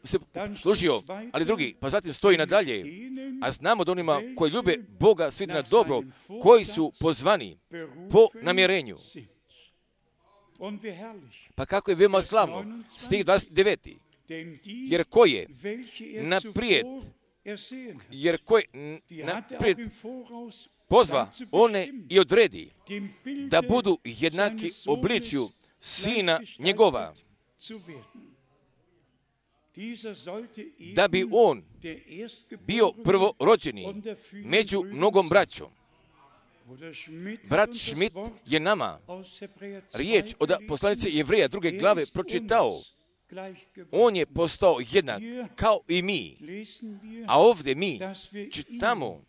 se služio, ali drugi, pa zatim stoji nadalje, a znamo da onima koji ljube Boga svi na dobro, koji su pozvani po namjerenju. Pa kako je veoma slavno, stih 29. Jer ko je naprijed pozva one i odredi da budu jednaki obličju sina njegova, da bi on bio prvorođeni među mnogom braćom. Brat Schmidt je nama riječ od poslanice Jevreja 2. glave pročitao. On je postao jednak kao i mi. A ovdje mi čitamo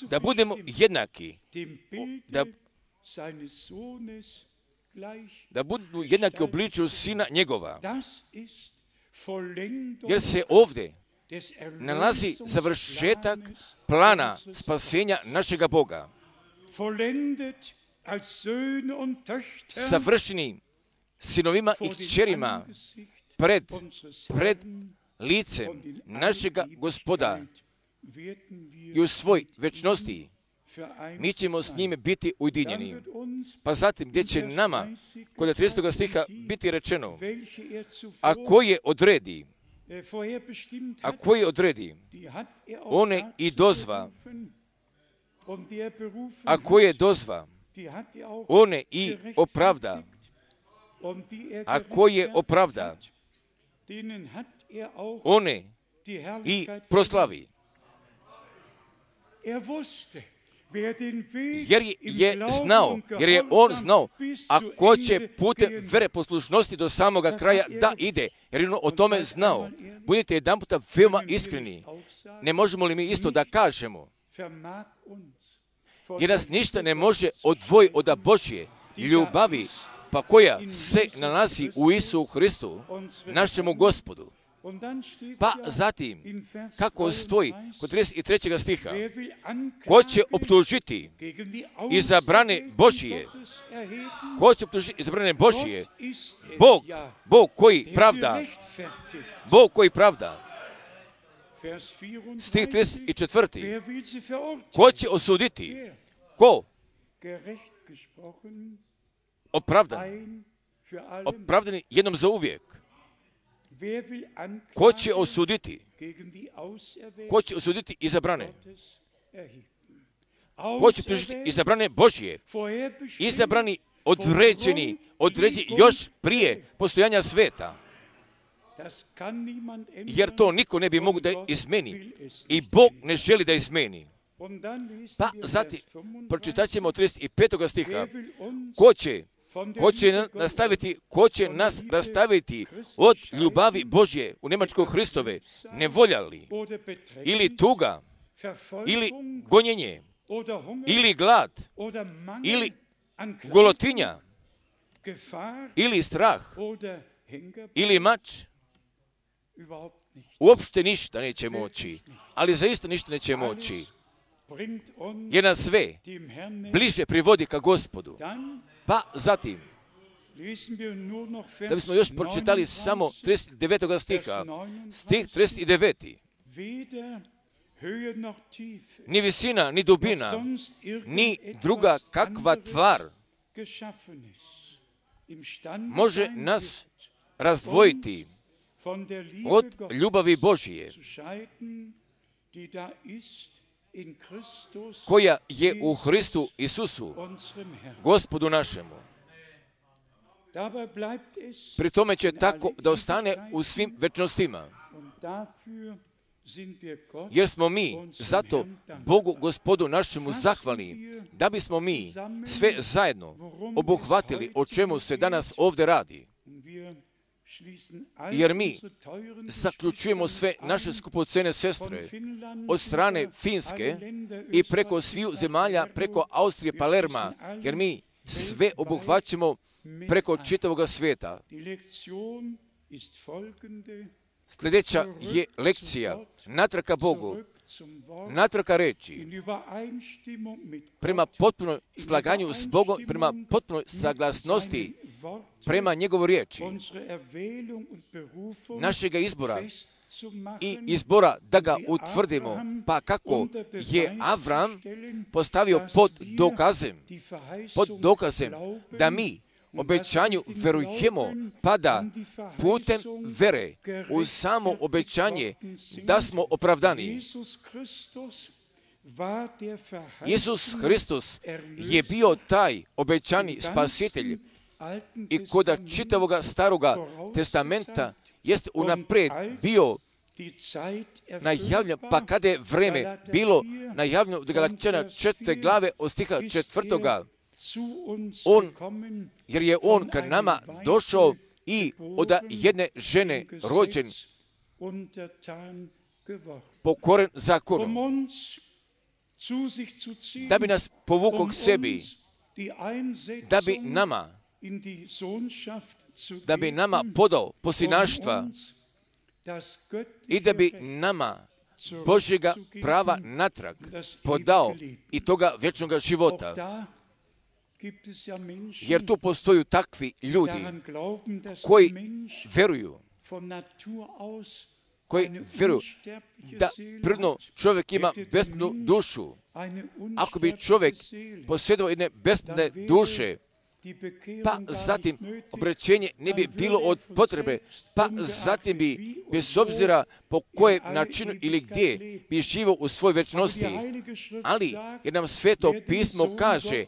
da budemo jednaki, da budu jednaki obličju sina njegova. Jer se ovdje nalazi završetak plana spasenja našega Boga. Savršeni sinovima i kćerima pred licem našega Gospoda i u svoj večnosti mi ćemo s njime biti ujedinjeni. Pa zatim gdje će nama kod 30. stiha biti rečeno, a koje odredi, one i dozva, a koje dozva, one i opravda, a koje opravda, one i proslavi. Jer je on znao, a ko će putem vere poslušnosti do samoga kraja da ide, jer je on o tome znao. Budite jedan puta veoma iskreni. Ne možemo li mi isto da kažemo? Jer nas ništa ne može odvojiti od Božje ljubavi, pa koja se nalazi u Isusu Hristu, našemu Gospodu. Pa zatim, kako stoji kod 33. stiha, ko će optužiti izabrane Božije? Ko će optužiti izabrane Božije? Bog koji pravda. Bog koji pravda. Stih 34. Ko će osuditi? Ko? Opravdani jednom za uvijek. Ko će osuditi? Ko će osuditi izabrane? Ko će optužiti izabrane Božje? Izabrani određeni još prije postojanja sveta. Jer to niko ne bi mogao da izmeni. I Bog ne želi da izmeni. Pa zatim, pročitat ćemo 35. stiha. Ko će nas rastaviti od ljubavi Božje u Njemačkoj Hristove, nevoljali, ili tuga, ili gonjenje, ili glad, ili golotinja, ili strah, ili mač, uopšte ništa neće moći, ali zaista ništa neće moći, jer nas sve bliže privodi ka Gospodu. Pa zatim, da bismo još pročitali samo 39. stiha, stih 39. Ni visina, ni dubina, ni druga kakva tvar može nas razdvojiti od ljubavi Božije, koja je u Hristu Isusu, Gospodu našemu. Pri tome će tako da ostane u svim večnostima. Jer smo mi zato Bogu Gospodu našemu zahvalni, da bismo mi sve zajedno obuhvatili o čemu se danas ovdje radi. Jer mi zaključujemo sve naše skupocene sestre od strane Finske i preko sviju zemalja, preko Austrije, Palerma, jer mi sve obuhvaćamo preko čitavoga svijeta. Sljedeća je lekcija natraka Bogu, natraka reči, prema potpunoj slaganju s Bogom, prema potpunoj saglasnosti, prema njegovoj riječi, našega izbora i izbora da ga utvrdimo, pa kako je Avram postavio pod dokazem da mi obećanju verujemo, pa da putem vere u samo obećanje da smo opravdani. Isus Hristos je bio taj obećani spasitelj i koda čitavoga staroga testamenta jest unaprijed bio najavljen, pa kada je vreme bilo najavljeno od Galačana 4. glave od stiha 4. Jer je on k nama došao i od jedne žene rođen, pokoren zakonom, da bi nas povukao k sebi, da bi nama podao posinaštva i da bi nama Božjega prava natrag podao i toga vječnoga života. Jer tu postoju takvi ljudi koji vjeruju da prirodno čovjek ima besmrtnu dušu. Ako bi čovjek posjedovao jedne besmrtne duše, pa zatim obraćenje ne bi bilo od potrebe, pa zatim bi, bez obzira po kojem načinu ili gdje, bi živio u svojoj večnosti. Ali, jer nam Sveto pismo kaže,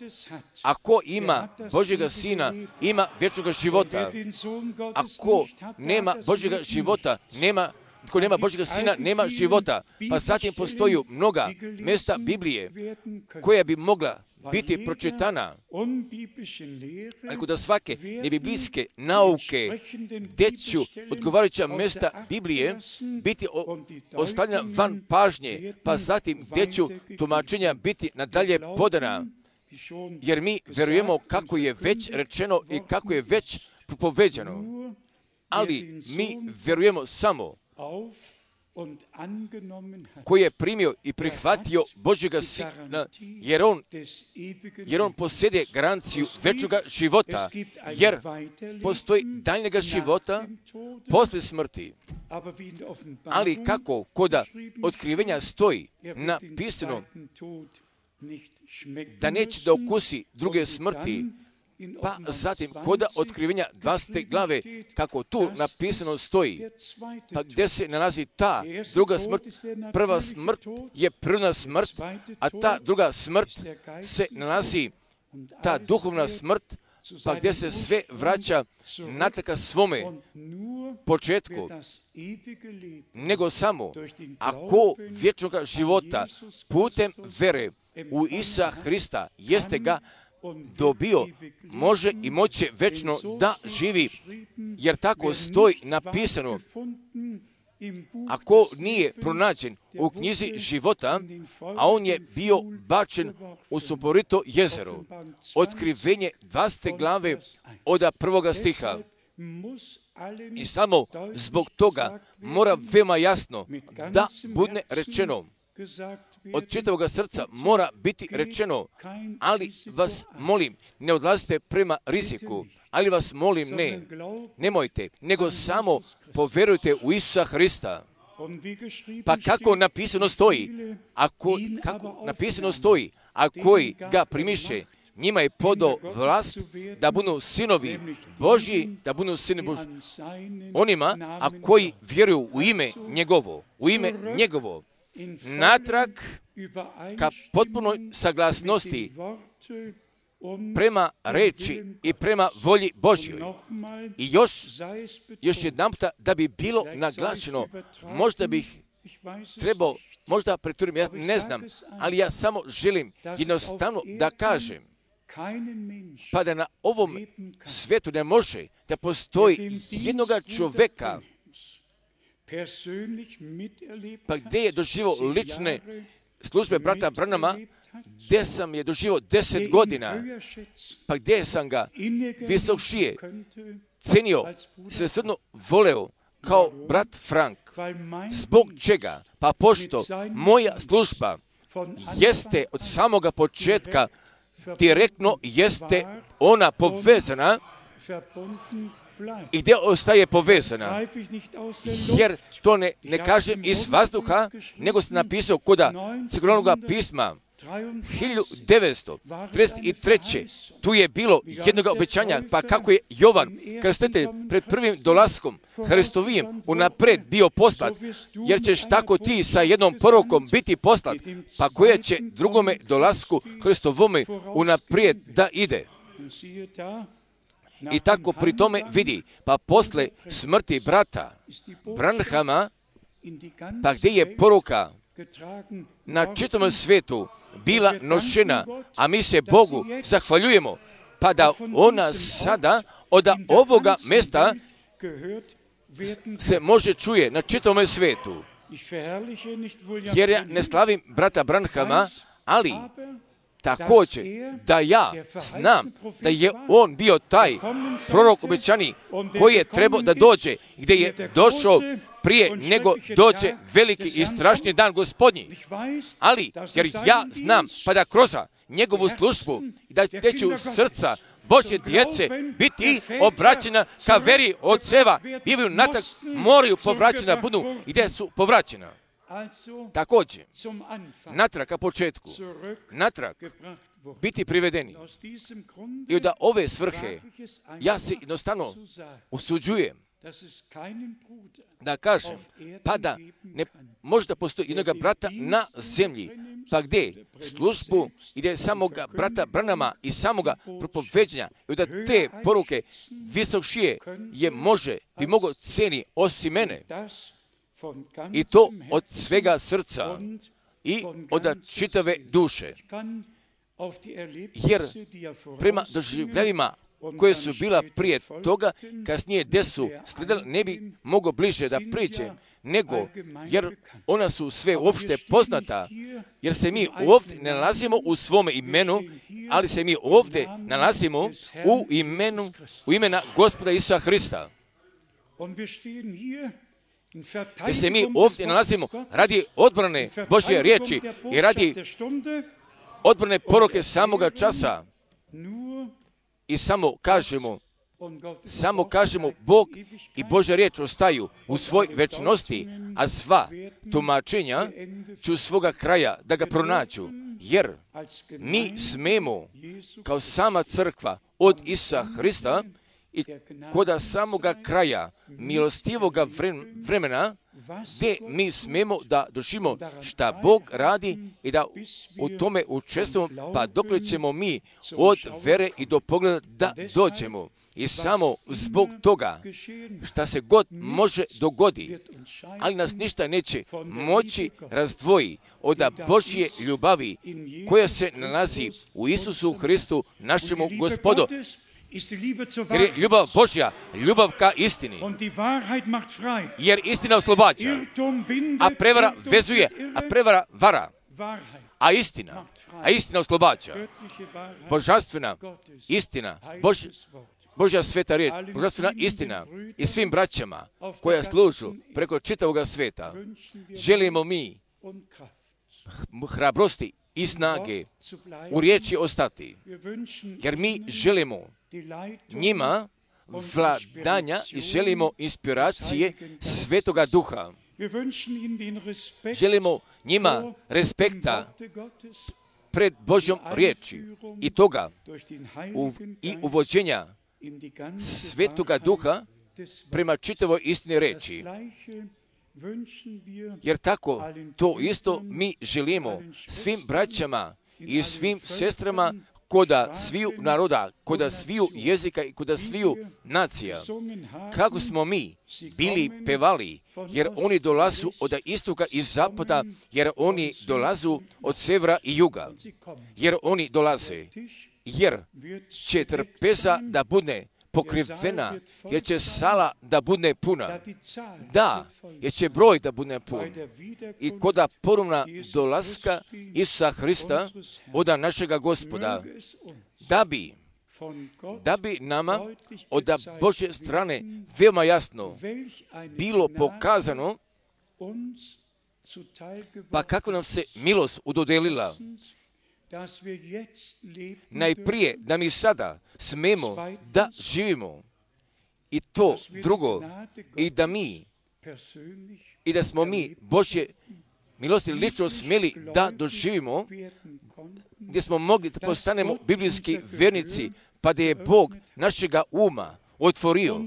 ako ima Božjega Sina, ima vječnog života. Ako nema Božjega života, ako nema Božjega Sina, nema života. Pa zatim postoji mnoga mjesta Biblije koja bi mogla biti pročitana, ako da svake nebiblijske nauke, gdje ću odgovarajuća mjesta Biblije biti ostavljena van pažnje, pa zatim gdje ću tumačenja biti nadalje podana, jer mi vjerujemo kako je već rečeno i kako je već propoveđeno, ali mi vjerujemo samo koji je primio i prihvatio Božjega Sina, jer on posjeduje garanciju večnoga života, jer postoji daljnjega života poslije smrti. Ali kako koda otkrivenja stoji napisano da neće da okusi druge smrti, pa zatim koda otkrivenja 20. glave, kako tu napisano stoji, pa gdje se nalazi ta druga smrt, prva smrt je prirodna smrt, a ta druga smrt se nalazi, ta duhovna smrt pa gdje se sve vraća natrag ka svome početku, nego samo ako vječnog života putem vere u Isusa Hrista jeste ga dobio, može i moće večno da živi, jer tako stoji napisano. Ako nije pronađen u knjizi života, a on je bio bačen u sumporito jezero. Otkrivenje 20. glave od 1. stiha. I samo zbog toga mora veoma jasno da bude rečeno. Od čitavoga srca mora biti rečeno, ali vas molim, ne odlazite prema riziku, ali vas molim, nemojte, nego samo poverujte u Isusa Hrista. Pa kako napisano stoji, kako napisano stoji, a koji ga primiše, njima je podao vlast da budu sinovi Božji, da budu sini Božji. Onima, a koji vjeruju u ime njegovo, natrag ka potpunoj saglasnosti prema reči i prema volji Božjoj. I još jedanputa da bi bilo naglašeno, možda bih trebao, možda pretvorim, ja ne znam, ali ja samo želim jednostavno da kažem, pa da na ovom svijetu ne može da postoji jednoga čovjeka, pa gdje je doživio lične službe brata Branhama, gdje sam je doživio 10 godina, pa gdje sam ga visokšije cenio, svesrdno voleo kao brat Frank. Zbog čega? Pa pošto moja služba jeste od samoga početka direktno jeste ona povezana i gdje ostaje povezana. Jer to ne kažem iz vazduha, nego se napisao koda crkvenog pisma 1933. Tu je bilo jednog obećanja, pa kako je Jovan, kada stojite pred prvim dolaskom Hristovijem unapred bio poslat, jer ćeš tako ti sa jednom porukom biti poslat, pa koje će drugome dolasku Hristovome unaprijed da ide. I tako pri tome vidi, pa posle smrti brata Branhama, pa gdje je poruka na čitavom svijetu bila nošena, a mi se Bogu zahvaljujemo, pa da ona sada od ovoga mjesta se može čuje na čitavom svijetu. Jer ja ne slavim brata Branhama, ali također da ja znam da je on bio taj prorok obećani koji je trebao da dođe, gdje je došao prije nego dođe veliki i strašni dan Gospodnji. Ali, jer ja znam, pa da kroz njegovu službu, da će u srca Božje djece biti obraćena ka veri od seva, bivaju natak, moraju povraćena budu i gdje su povraćena. Također, natrag ka početku, natrag biti privedeni. I od ove svrhe ja se jednostavno usuđujem da kažem, pa da ne možda postoji jednoga brata na zemlji, pa gdje službu ide samoga brata Branhama i samoga propoveđenja, i da te poruke visokšije bi mogao ceni osim mene. I to od svega srca i od čitave duše. Jer prema doživljavima koje su bila prije toga, kasnije gdje su slijedili, ne bi mogao bliže da priđem, nego, jer ona su sve uopšte poznata, jer se mi ovdje ne nalazimo u svome imenu, ali se mi ovdje nalazimo u imena Gospoda Isusa Hrista. Jer se mi ovdje nalazimo radi odbrane Božje riječi i radi odbrane poruke samoga časa. I samo kažemo Bog i Božja riječ ostaju u svoj večnosti, a sva tumačenja ću svoga kraja da ga pronađu. Jer mi smemo kao sama crkva od Isusa Hrista i koda samoga kraja milostivoga vremena gdje mi smemo da doživimo šta Bog radi i da u tome učestvujemo, pa dokle ćemo mi od vere i do pogleda da dođemo. I samo zbog toga šta se god može dogodi, ali nas ništa neće moći razdvoji od Božje ljubavi koja se nalazi u Isusu Hristu, našemu Gospodu. Jer je ljubav Božja, ljubav ka istini. Jer istina oslobađa, a prevara vezuje, a prevara vara. A istina oslobađa. Božanstvena istina, Božja sveta riječ, božanstvena istina i svim braćama koja služu preko čitavoga sveta. Želimo mi hrabrosti i snage u riječi ostati, jer mi želimo njima vladanja i želimo inspiracije Svetoga Duha. Želimo njima respekta pred Božjom riječi i toga i uvođenja Svetoga Duha prema čitavoj istini reči. Jer tako to isto mi želimo svim braćama i svim sestrama koda sviju naroda, koda sviju jezika i koda sviju nacija. Kako smo mi bili pevali, jer oni dolazu od istoka i zapada, jer oni dolazu od severa i juga, jer oni dolaze, jer će trpeza da bude pokrivena, jer će sala da bude puna. Da, jer će broj da bude pun. I koda ponovna dolaska Isusa Hrista od našega Gospoda, da bi nama od Božje strane veoma jasno bilo pokazano, pa kako nam se milost udodelila. Najprije da mi sada smemo da živimo i to drugo i da smo mi Božje milosti lično smjeli da doživimo, gdje smo mogli da postanemo biblijski vjernici, pa da je Bog našega uma otvorio,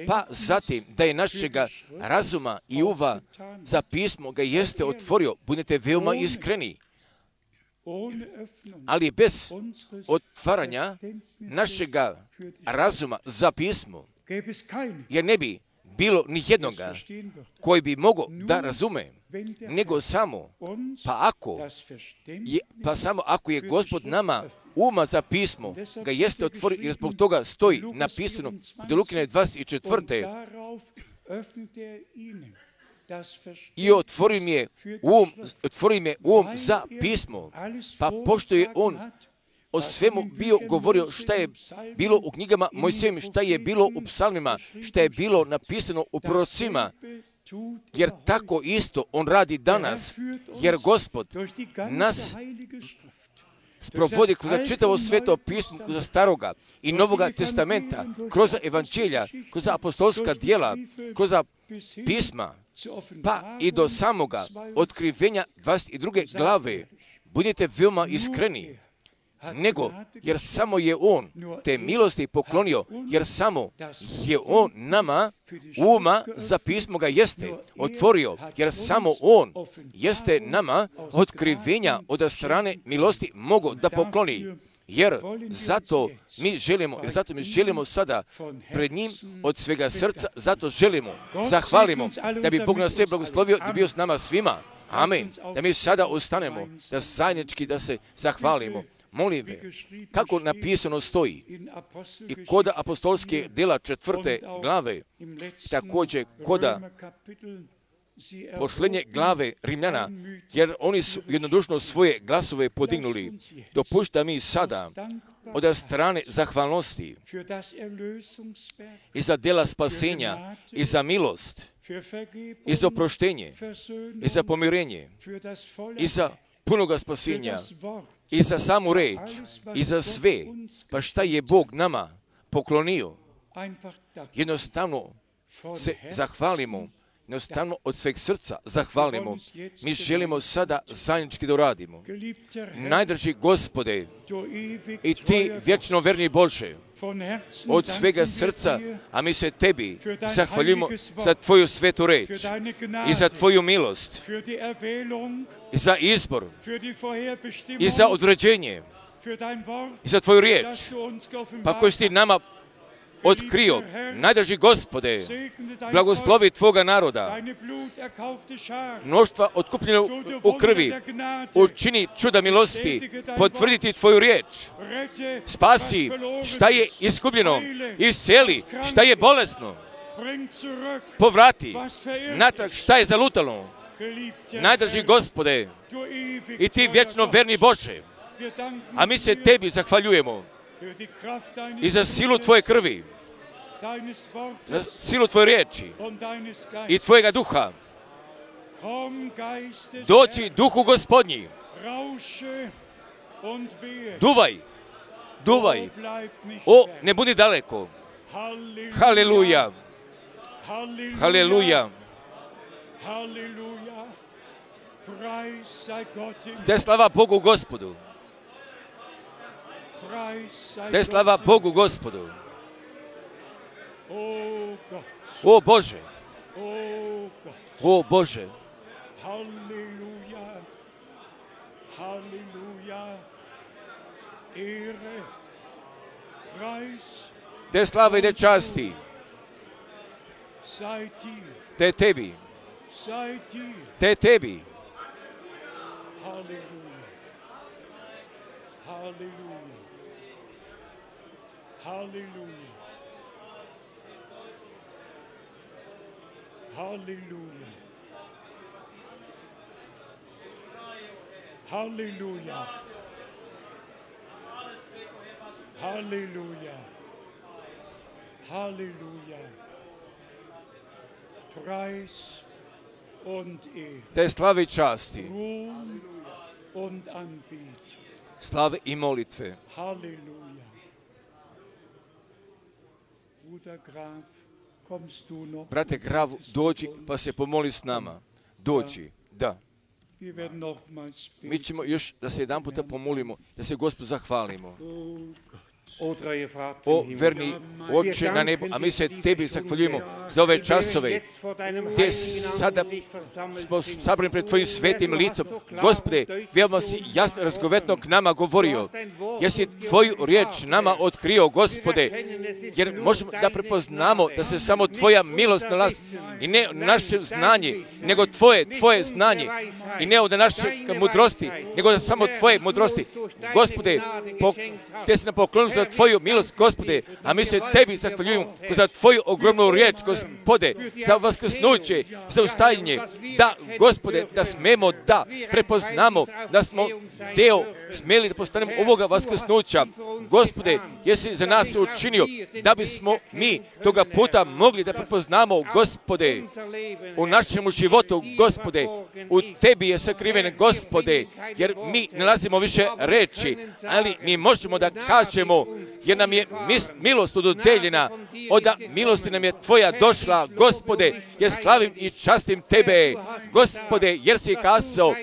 pa zatim da je našega razuma i uva za pismo ga jeste otvorio. Budete veoma iskreni. Ali bez otvaranja našega razuma za pismo, jer ne bi bilo ni jednoga koji bi mogao da razume, nego samo, pa samo ako je Gospod nama uma za pismo, ga jeste otvorio, jer zbog toga stoji napisano u Lukine 24. I otvori mi um za pismo, pa pošto je on o svemu bio govorio šta je bilo u knjigama Mojsijevim, šta je bilo u psalmima, šta je bilo napisano u prorocima, jer tako isto on radi danas, jer Gospod nas sprovodi kroz čitavo sveto pismo, kroz staroga i novoga testamenta, kroz evanđelja, kroz apostolska djela, kroz pisma, pa i do samoga otkrivenja 22. glave. Budite veoma iskreni, nego jer samo je on te milosti poklonio, jer samo je on nama uma za pismo ga jeste otvorio, jer samo on jeste nama otkrivenja od strane milosti mogo da pokloni. Jer zato mi želimo sada pred njim od svega srca, zato želimo, zahvalimo da bi Bog nas sve blagoslovio, da bi bio s nama svima. Amen. Da mi sada ostanemo, da zajednički da se zahvalimo. Molim ve, kako napisano stoji i koda apostolske dela 4. glave, također koda posljednje glave Rimljana, jer oni su jednodušno svoje glasove podignuli. Dopušta mi sada od strane zahvalnosti i za dela spasenja, i za milost, i za oproštenje, i za pomirenje, i za punoga spasenja, i za samu reč, i za sve, pa šta je Bog nama poklonio. Jednostavno se zahvalimo, jednostavno od sveg srca zahvalimo. Mi želimo sada zajednički da uradimo. Najdraži Gospode, i Ti vječno verni Bože, od svega srca, a mi se Tebi zahvaljujemo za Tvoju svetu reč i za Tvoju milost i za izbor i za određenje i za Tvoju riječ, pa koju si Ti nama otkrio. Najdraži Gospode, blagoslovi Tvoga naroda, mnoštva otkupljena u krvi, učini čuda milosti, potvrditi Tvoju riječ, spasi šta je izgubljeno, isceli šta je bolesno, povrati natrag šta je zalutalo. Najdraži Gospode, i Ti vječno verni Bože, a mi se Tebi zahvaljujemo i za silu Tvoje krvi, za silu Tvoje riječi i Tvojega duha. Doći Duhu Gospodnji, duvaj, duvaj, o, ne budi daleko. Haleluja, haleluja. Te slava Bogu Gospodu. Te slava Bogu Gospodu. O Bože, o Bože. Halleluja, halleluja, ere, preis, Te slave i te časti, sei dir, te Tebi, sei dir, te Tebi. halleluja, halleluja, halleluja, halleluja, halleluja, halleluja, halleluja, Preis und Ehre, Te slave i časti, Ruhm und Anbetung, slave i molitve. Halleluja. Bruder Graf, kommst du noch? Brate Gravu, dođi pa se pomoli s nama. Dođi, da. Wir werden nochmals Mi beten. ćemo još da se jedan puta pomolimo, da se Gospodu zahvalimo. O treue Vater O im Himmel, verni Oče na nebu, a mi se Tebi zahvaljujemo za ove časove gdje sada smo sabrani pred Tvojim svetim licom. Gospode, veoma si jasno i razgovetno k nama govorio, jer si Tvoju riječ nama otkrio, Gospode, jer možemo da prepoznamo da se samo Tvoja milost nalazi i ne naše znanje, nego Tvoje znanje i ne od naše mudrosti, nego da samo Tvoje mudrosti. Gospode, Te si nam poklonio za Tvoju milost, Gospode, a mi se Tebi zahvaljujemo za Tvoju ogromnu riječ, Gospode, za vaskrsnuće, za ustajanje. Da, Gospode, da smemo da prepoznamo da smo deo smeli da postanemo ovoga vaskrsnuća. Gospode, jesi za nas učinio da bismo mi toga puta mogli da prepoznamo, Gospode, u našem životu, Gospode, u Tebi je sakriven, Gospode, jer mi ne nalazimo više reči, ali mi možemo da kažemo, jer nam je milost dodeljena, od milosti nam je Tvoja došla, Gospode, jer slavim i častim Tebe, Gospode, jer si kazao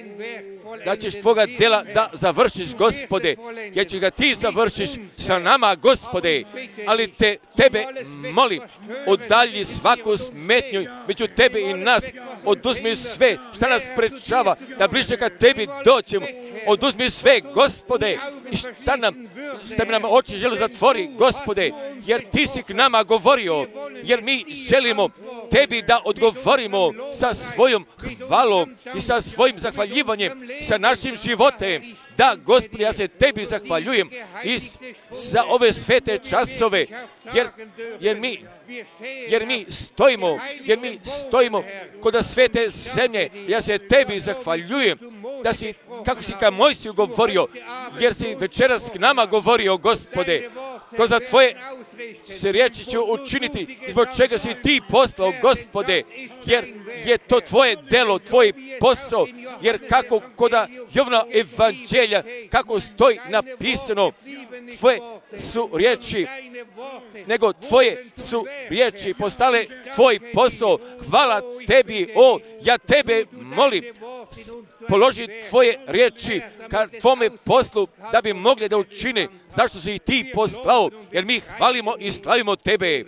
da ćeš Tvoga djela da završiš, Gospode, jer ćeš ga Ti završiš sa nama, Gospode, ali Tebe molim, udalji svaku smetnju među Tebe i nas, oduzmi sve šta nas sprečava da bliže ka Tebi doćemo, oduzmi sve, Gospode, i šta nam oči žele zatvori, Gospode, jer Ti si k nama govorio, jer mi želimo Tebi da odgovorimo sa svojom hvalom i sa svojim zahvaljivanjem, sa našim životem. Da, Gospode, ja se Tebi zahvaljujem i za ove svete časove, jer mi stojimo kod svete zemlje. Ja se Tebi zahvaljujem da si, kako si ka Mojsiju govorio, jer si večeras k nama govorio, Gospode, kroz tvoje se riječi ću učiniti, zbog čega si ti poslao, Gospode, jer je to tvoje delo, tvoj posao, jer kako kod Jovana evanđelja, kako stoji napisano, tvoje su riječi, nego tvoje su riječi postale tvoj posao. Hvala tebi, ja tebe molim, položi tvoje riječi ka tvome poslu da bi mogli da učine zašto si ti poslao, jer mi hvalimo i slavimo tebe,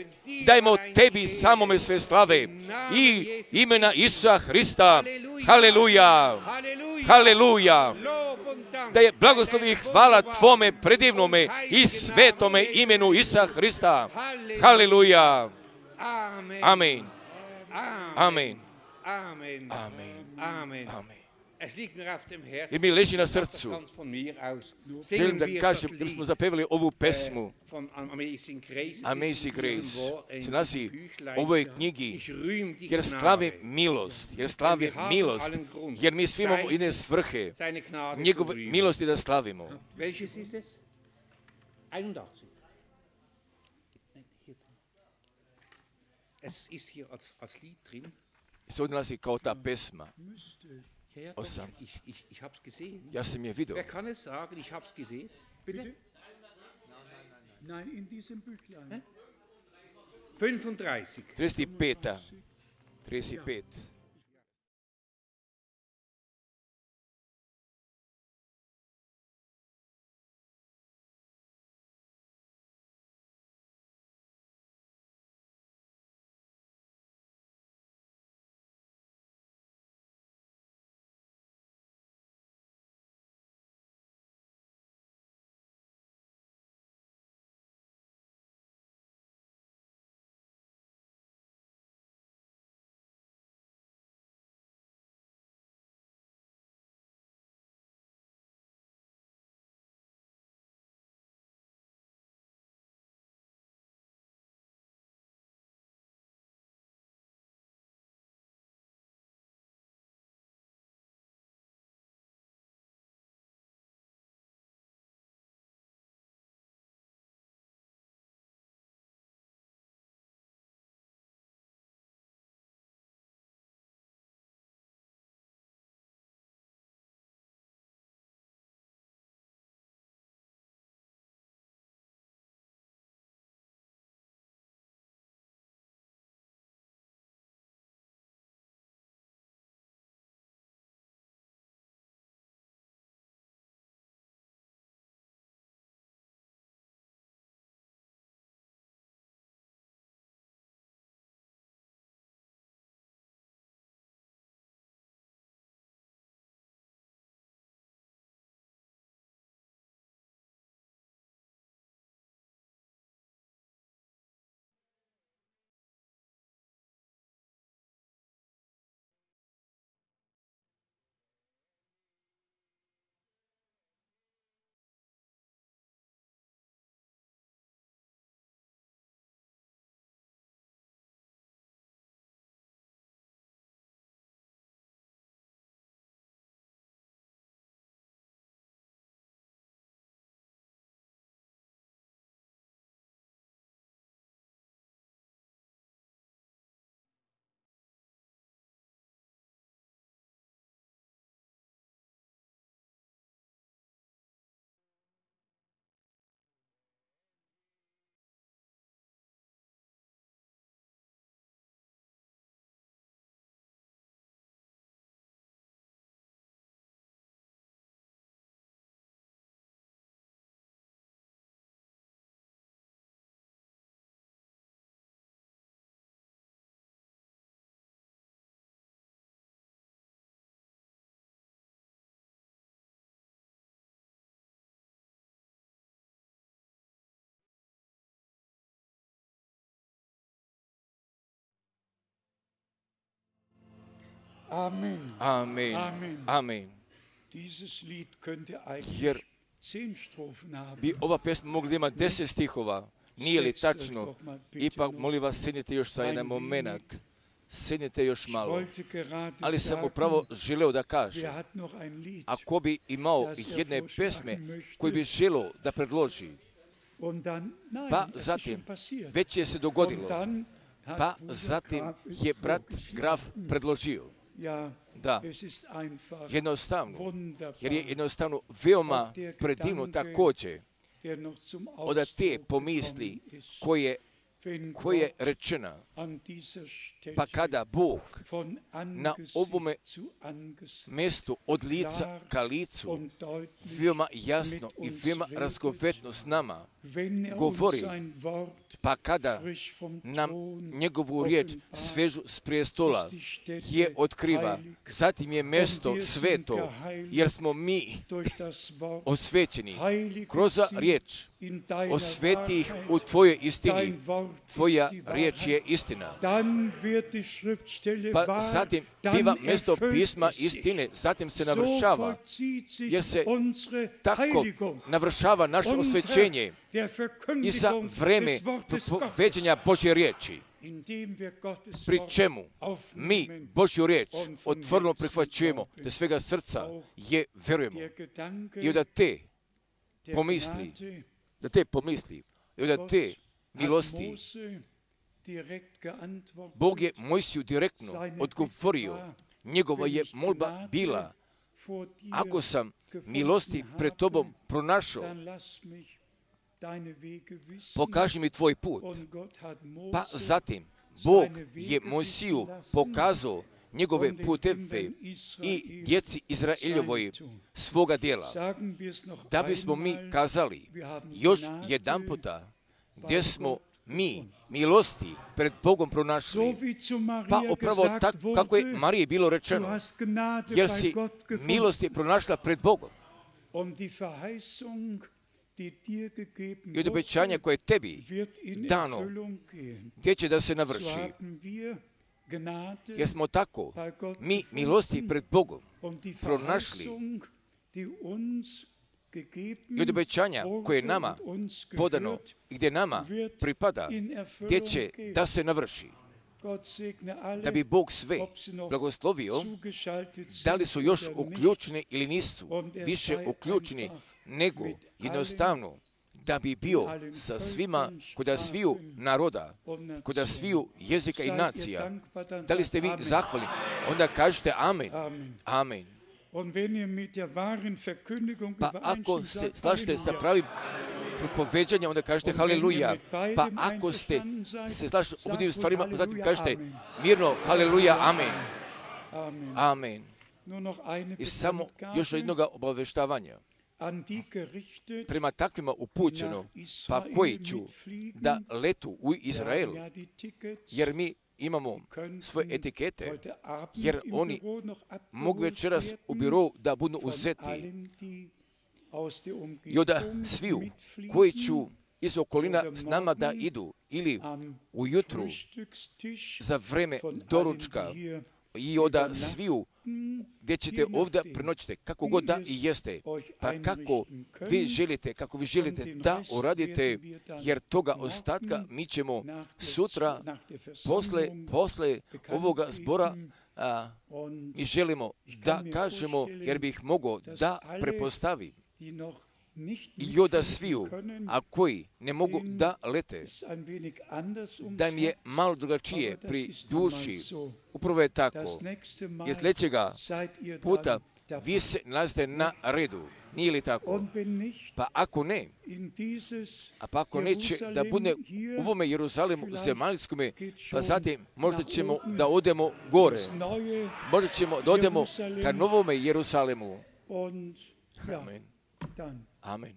dajmo tebi samome sve slave i imena Isusa Hrista. Haleluja, haleluja, da je blagoslov i hvala tvome predivnome i svetome imenu Isusa Hrista. Haleluja, amen, amen, amen, amen. I mi leži na srcu. Želim da kažem, da smo zapevali ovu pesmu Amazing Grace. Se nalazi u ovoj knjigi, jer slavi milost, jer mi svi imamo jedne svrhe, njegove milosti da slavimo. Se ovdje nalazi kao ta pesma. Ja sam je vidio. Wer kann es sagen, ich hab's gesehen? Bitte? Nein, in diesem Büchlein. 35. 35. Amen. Amen. Amen. Amen. Dieses Lied könnte eigentlich Jer 10 Strophen haben. bi ova pesma mogla imati 10 stihova. Nije li tačno? Ipak, molim vas, sjednite još sa jedan moment. Sjednite još malo. Ali sam upravo želeo da kažem, ako bi imao jedne pesme koji bi želeo da predloži, Pa zatim, već je se dogodilo, pa zatim je brat Graf predložio, da, jednostavno, jer je jednostavno veoma predivno također od te pomisli koje rečena, pa kada Bog na ovome mjestu od lica ka licu veoma jasno i veoma razgovetno s nama govori, pa kada nam njegovu riječ svežu s prijestola je otkriva, zatim je mjesto sveto, jer smo mi osvećeni kroz riječ, osveti ih u tvojoj istini. Tvoja riječ je istina. Pa zatim biva mjesto pisma istine, zatim se navršava, jer se tako navršava naše osvećenje i za vreme propoveđenja Božje riječi, pri čemu mi Božju riječ otvoreno prihvaćujemo, da svega srca je verujemo. I od te pomisli, i od te milosti, Bog je Mojsiju direktno odgovorio. Njegova je molba bila, ako sam milosti pred tobom pronašao, pokaži mi tvoj put. Pa zatim, Bog je Mojsiju pokazao njegove puteve i djeci Izraeljevoj svoga djela. Da bismo mi kazali još jedan puta gdje smo mi milosti pred Bogom pronašli, pa upravo tako kako je Mariji bilo rečeno, jer si milosti pronašla pred Bogom. I od obećanja koje je tebi dano, gdje će da se navrši. Jer smo tako mi milosti pred Bogom pronašli i od obećanja koje je nama podano i gdje nama pripada, gdje će da se navrši. Da bi Bog sve blagoslovio, da li su još uključeni ili nisu više uključeni, nego jednostavno da bi bio sa svima, kod sviju naroda, kod sviju jezika i nacija. Da li ste vi zahvalni? Onda kažete amen. Amen. Pa ako se slažete sa pravim propoveđanjem, onda kažete haleluja. Pa ako ste se slažete u tim stvarima, zatim kažete mirno haleluja, amen. Amen. I samo još jednog obaveštavanja. Prema takvima upućeno, pa koji ću da letu u Izrael, jer mi imamo svoje etikete, jer oni mogu večeras u birovu da budu uzeti. I onda sviju koji ću iz okolina s nama da idu, ili ujutru za vreme doručka, i onda sviju gdje ćete ovdje prenoćite, kako god da i jeste, pa kako vi želite da uradite, jer toga ostatka mi ćemo sutra, posle ovoga zbora, mi želimo da kažemo, jer bih mogao da prepostavim. I onda sviju, a koji ne mogu da lete, da im je malo drugačije pri duši. Upravo je tako. Jer sljedećega puta vi se nalazite na redu. Nije li tako? Pa ako ne, ako neće da bude u ovome Jeruzalemu zemaljskome, pa zatim možda ćemo da odemo gore. Možda ćemo da odemo ka novome Jeruzalemu. Amen. Amen.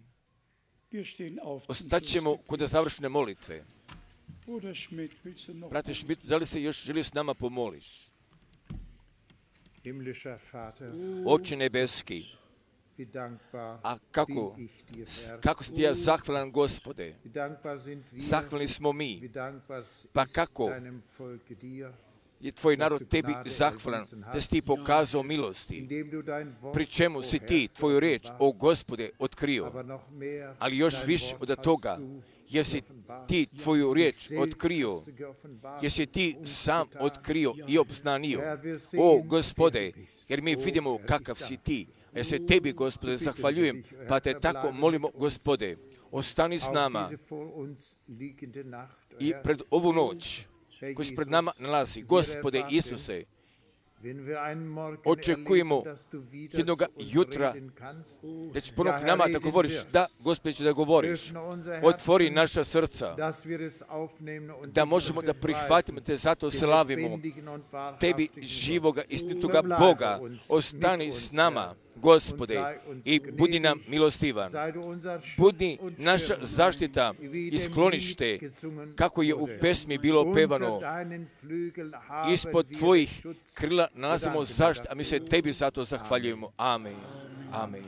Ostat ćemo kod završne molitve. Brate Schmidt, da li se još želi s nama pomoliš? Oče nebeski, a kako si ti ja zahvalan, Gospode? Zahvalni smo mi. Pa kako je tvoj narod tebi zahvalan, da si ti pokazao milosti, pri čemu si ti tvoju riječ, o Gospode, otkrio. Ali još više od toga, jer si ti tvoju riječ otkrio, jer si ti sam otkrio i obznanio, o Gospode, jer mi vidimo kakav si ti. Ja se tebi, Gospode, zahvaljujem, pa te tako molimo, Gospode, ostani s nama i pred ovu noć koji se pred nama nalazi. Gospode Isuse, očekujemo jednog jutra da ćeš ponovno nama da govoriš. Da, Gospode, ću da govoriš. Otvori naša srca da možemo da prihvatimo te, zato slavimo tebi živoga, istinitoga Boga. Ostani s nama, Gospode, i budi nam milostivan. Budi naša zaštita i sklonište, kako je u pesmi bilo pevano. Ispod tvojih krila nalazimo zaštitu, a mi se tebi zato zahvaljujemo. Amen. Amen.